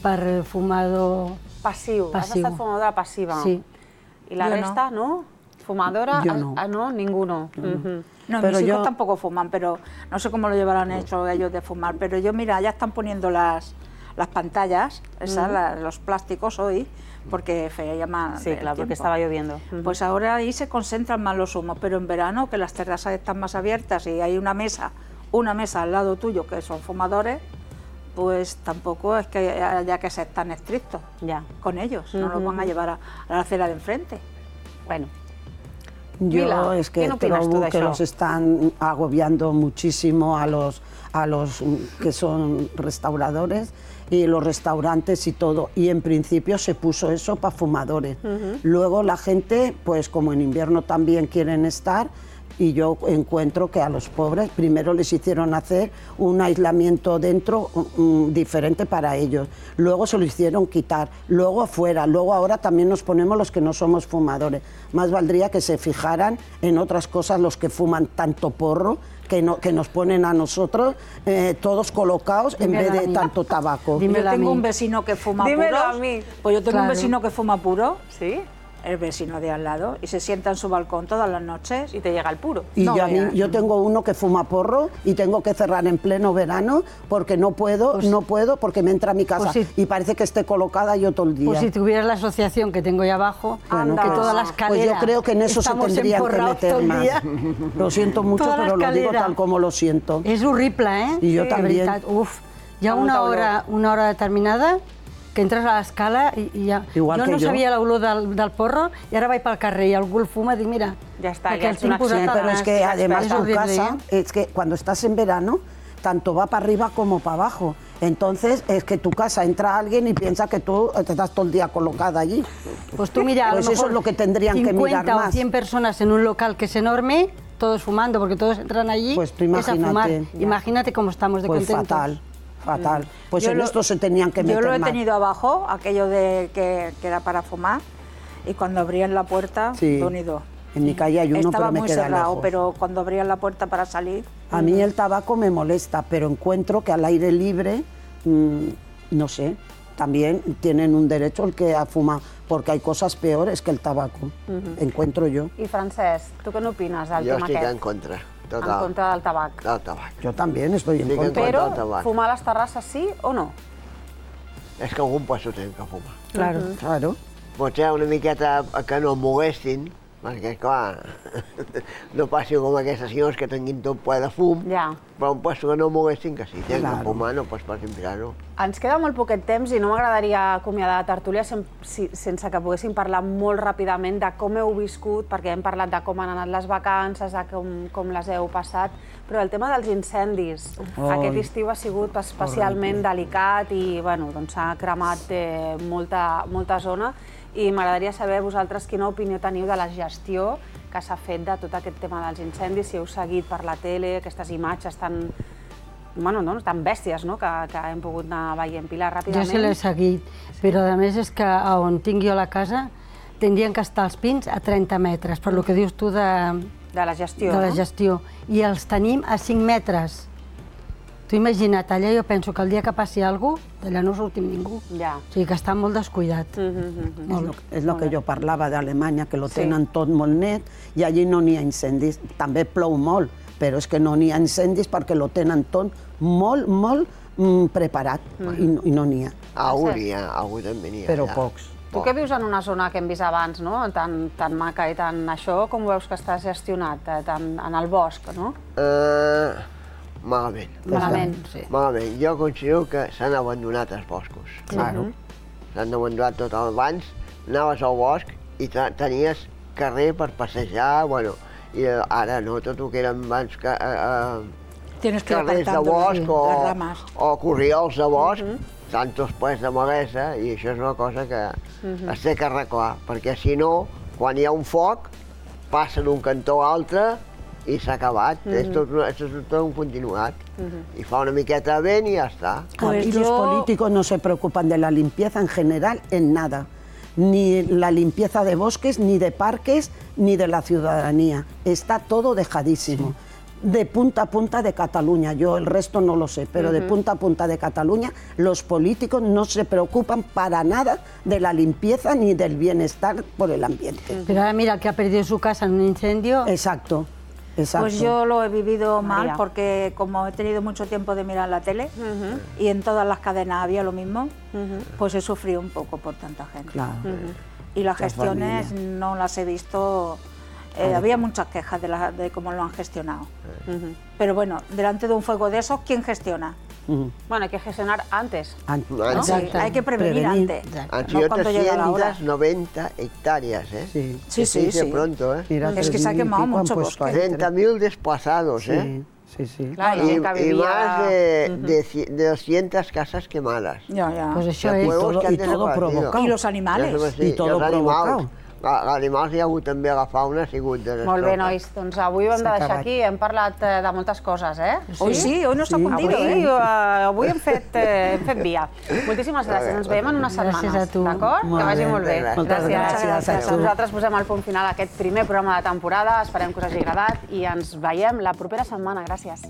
per fumador passiu. Has estat fumadora passiva. Sí. ¿Y la resta, no? ¿Fumadora? Yo no. No, ninguno. No, mis hijos tampoco fuman, pero no sé cómo lo llevarán hecho ellos de fumar, pero yo, mira, ya están poniendo las pantallas, los plásticos hoy, porque feia mal. Sí, claro, porque estaba lloviendo. Pues ahora ahí se concentran más los humos, pero en verano, que las terrazas están más abiertas y hay una mesa al lado tuyo que son fumadores, pues tampoco es que haya que ser tan estrictos con ellos, no los van a llevar a la acera de enfrente. Bueno. Yo es que creo que los están agobiando muchísimo a los que son restauradores y los restaurantes y todo. Y en principio se puso eso para fumadores. Luego la gente, pues como en invierno también quieren estar, y yo encuentro que a los pobres primero les hicieron hacer un aislamiento dentro diferente para ellos, luego se lo hicieron quitar, luego afuera, luego ahora también nos ponemos los que no somos fumadores. Más valdría que se fijaran en otras cosas los que fuman tanto porro, que nos ponen a nosotros todos colocados en vez de tanto tabaco. Yo tengo un vecino que fuma puros. Pues yo tengo un vecino que fuma puro. ¿Sí? El vecino de al lado, y se sienta en su balcón todas las noches. Y te llega el puro. Y yo tengo uno que fuma porro y tengo que cerrar en pleno verano porque no puedo porque me entra a mi casa y parece que esté colocada yo todo el día. Pues si tuvieras la asociación que tengo yo abajo, que toda la escalera... Pues yo creo que en eso se tendrían que meter más. Lo siento mucho, pero lo digo tal como lo siento. És horrible, ¿eh? Y yo también. Uf, hi ha una hora determinada que entres a l'escala i ja... Jo no sabia l'olor del porro i ara vaig pel carrer i algú el fuma i dic, mira... Ja està, ja és una acció. Pero es que además tu casa, es que cuando estás en verano, tanto va para arriba como para abajo. Entonces es que tu casa entra alguien y piensa que tú estás todo el día colocada allí. Pues tú mira, pues eso es lo que tendrían que mirar más. 50 o 100 personas en un local que es enorme, todos fumando, porque todos entran allí, pues tú imagínate, es a fumar. Imagínate cómo estamos de contentos. Fatal. Fatal. Pues en esto se tenían que meter más. Yo lo he tenido abajo, aquello de que era para fumar, y cuando abrían la puerta, unido. En mi calle hay uno, pero me queda lejos. Estaba muy cerrado, pero cuando abrían la puerta para salir... A mí el tabaco me molesta, pero encuentro que al aire libre, no sé, también tienen un derecho el que fuma, porque hay cosas peores que el tabaco, encuentro yo. Y Francesc, ¿tú qué opinas del tema aquest? Jo estic en contra. Total. En contra del tabac. Del tabac. Yo también estoy en contra. Pero, ¿fumar a las terrazas sí o no? És que algun puesto tenen que fumar. Claro. Claro. Potser una miqueta que no molestin, perquè, clar, no passi com aquestes senyors que tinguin tot ple de fum, però un puesto que no molestin, que si tenen que fumar no pots pas implicar-ho. Ens queda molt poquet temps i no m'agradaria acomiadar la tertúlia sense que poguéssim parlar molt ràpidament de com heu viscut, perquè hem parlat de com han anat les vacances, de com les heu passat, però el tema dels incendis, aquest estiu ha sigut especialment delicat i s'ha cremat molta zona, i m'agradaria saber vosaltres quina opinió teniu de la gestió que s'ha fet de tot aquest tema dels incendis, si heu seguit per la tele aquestes imatges tan bèsties que hem pogut anar veient. Pilar, ràpidament. Jo sí l'he seguit, però a més és que on tinc jo la casa tindrien que estar els pins a 30 metres, per lo que dius tu de la gestió. De la gestió. I els tenim a 5 metres. Tu imagina't, allà jo penso que el dia que passi alguna cosa, d'allà no sortim ningú. O sigui que està molt descuidat. És el que jo parlava d'Alemanya, que lo tenen tot molt net i allí no n'hi ha incendis. També plou molt, però és que no n'hi ha incendis perquè lo tenen tot molt preparat i no n'hi ha. Algú n'hi ha, algú també n'hi ha. Però pocs. Tu que vius en una zona que hem vist abans, no? Tan maca i tan això, com veus que està gestionat en el bosc, no? Malament. Malament, sí. Malament. Jo considero que s'han abandonat els boscos. Claro. S'han abandonat tot. Abans anaves al bosc i tenies carrer per passejar, bueno, i ara no, tot el que eren abans carrers de bosc o corriols de bosc, tantos plens de malesa, i això és una cosa que es té que arreglar, perquè si no, quan hi ha un foc, passa d'un cantó a l'altre i s'ha acabat. És tot un continuat. Y fa una miqueta de vent y ya está. Aquí los políticos no se preocupan de la limpieza en general, en nada. Ni la limpieza de bosques, ni de parques, ni de la ciudadanía. Está todo dejadísimo. De punta a punta de Cataluña, yo el resto no lo sé, pero de punta a punta de Cataluña los políticos no se preocupan para nada de la limpieza ni del bienestar por el ambiente. Pero ahora mira, que ha perdido su casa en un incendio. Exacto. Exacto. Pues yo lo he vivido mal porque como he tenido mucho tiempo de mirar la tele y en todas las cadenas había lo mismo, pues he sufrido un poco por tanta gente. Claro. Y las gestiones no las he visto. Había muchas quejas de cómo lo han gestionado. Pero bueno, delante de un fuego de esos, ¿quién gestiona? Bueno, hay que gestionar antes. ¿No? Sí, hay que prevenir antes. Han sido 390 hectáreas, ¿eh? Sí, sí, sí. Pronto, ¿eh? Es que se ha quemado mucho bosque. 30.000 desplazados, ¿eh? Sí, sí. Claro, y más de 200 casas quemadas. Ya. Pues això és. Y todo provocado. Y los animales. Y todo provocado. Animals hi ha hagut també, la fauna ha sigut desastrós. Molt bé, nois, doncs avui ho hem de deixar aquí, hem parlat de moltes coses, eh? Hoy sí, hoy nos ha cundido, Avui hem fet via. Moltíssimes gràcies, ens veiem en unes setmanes, Gràcies a tu. d'acord? Que vagi molt bé. Moltes gràcies. Nosaltres posem el punt final a aquest primer programa de temporada, esperem que us hagi agradat i ens veiem la propera setmana. Gràcies.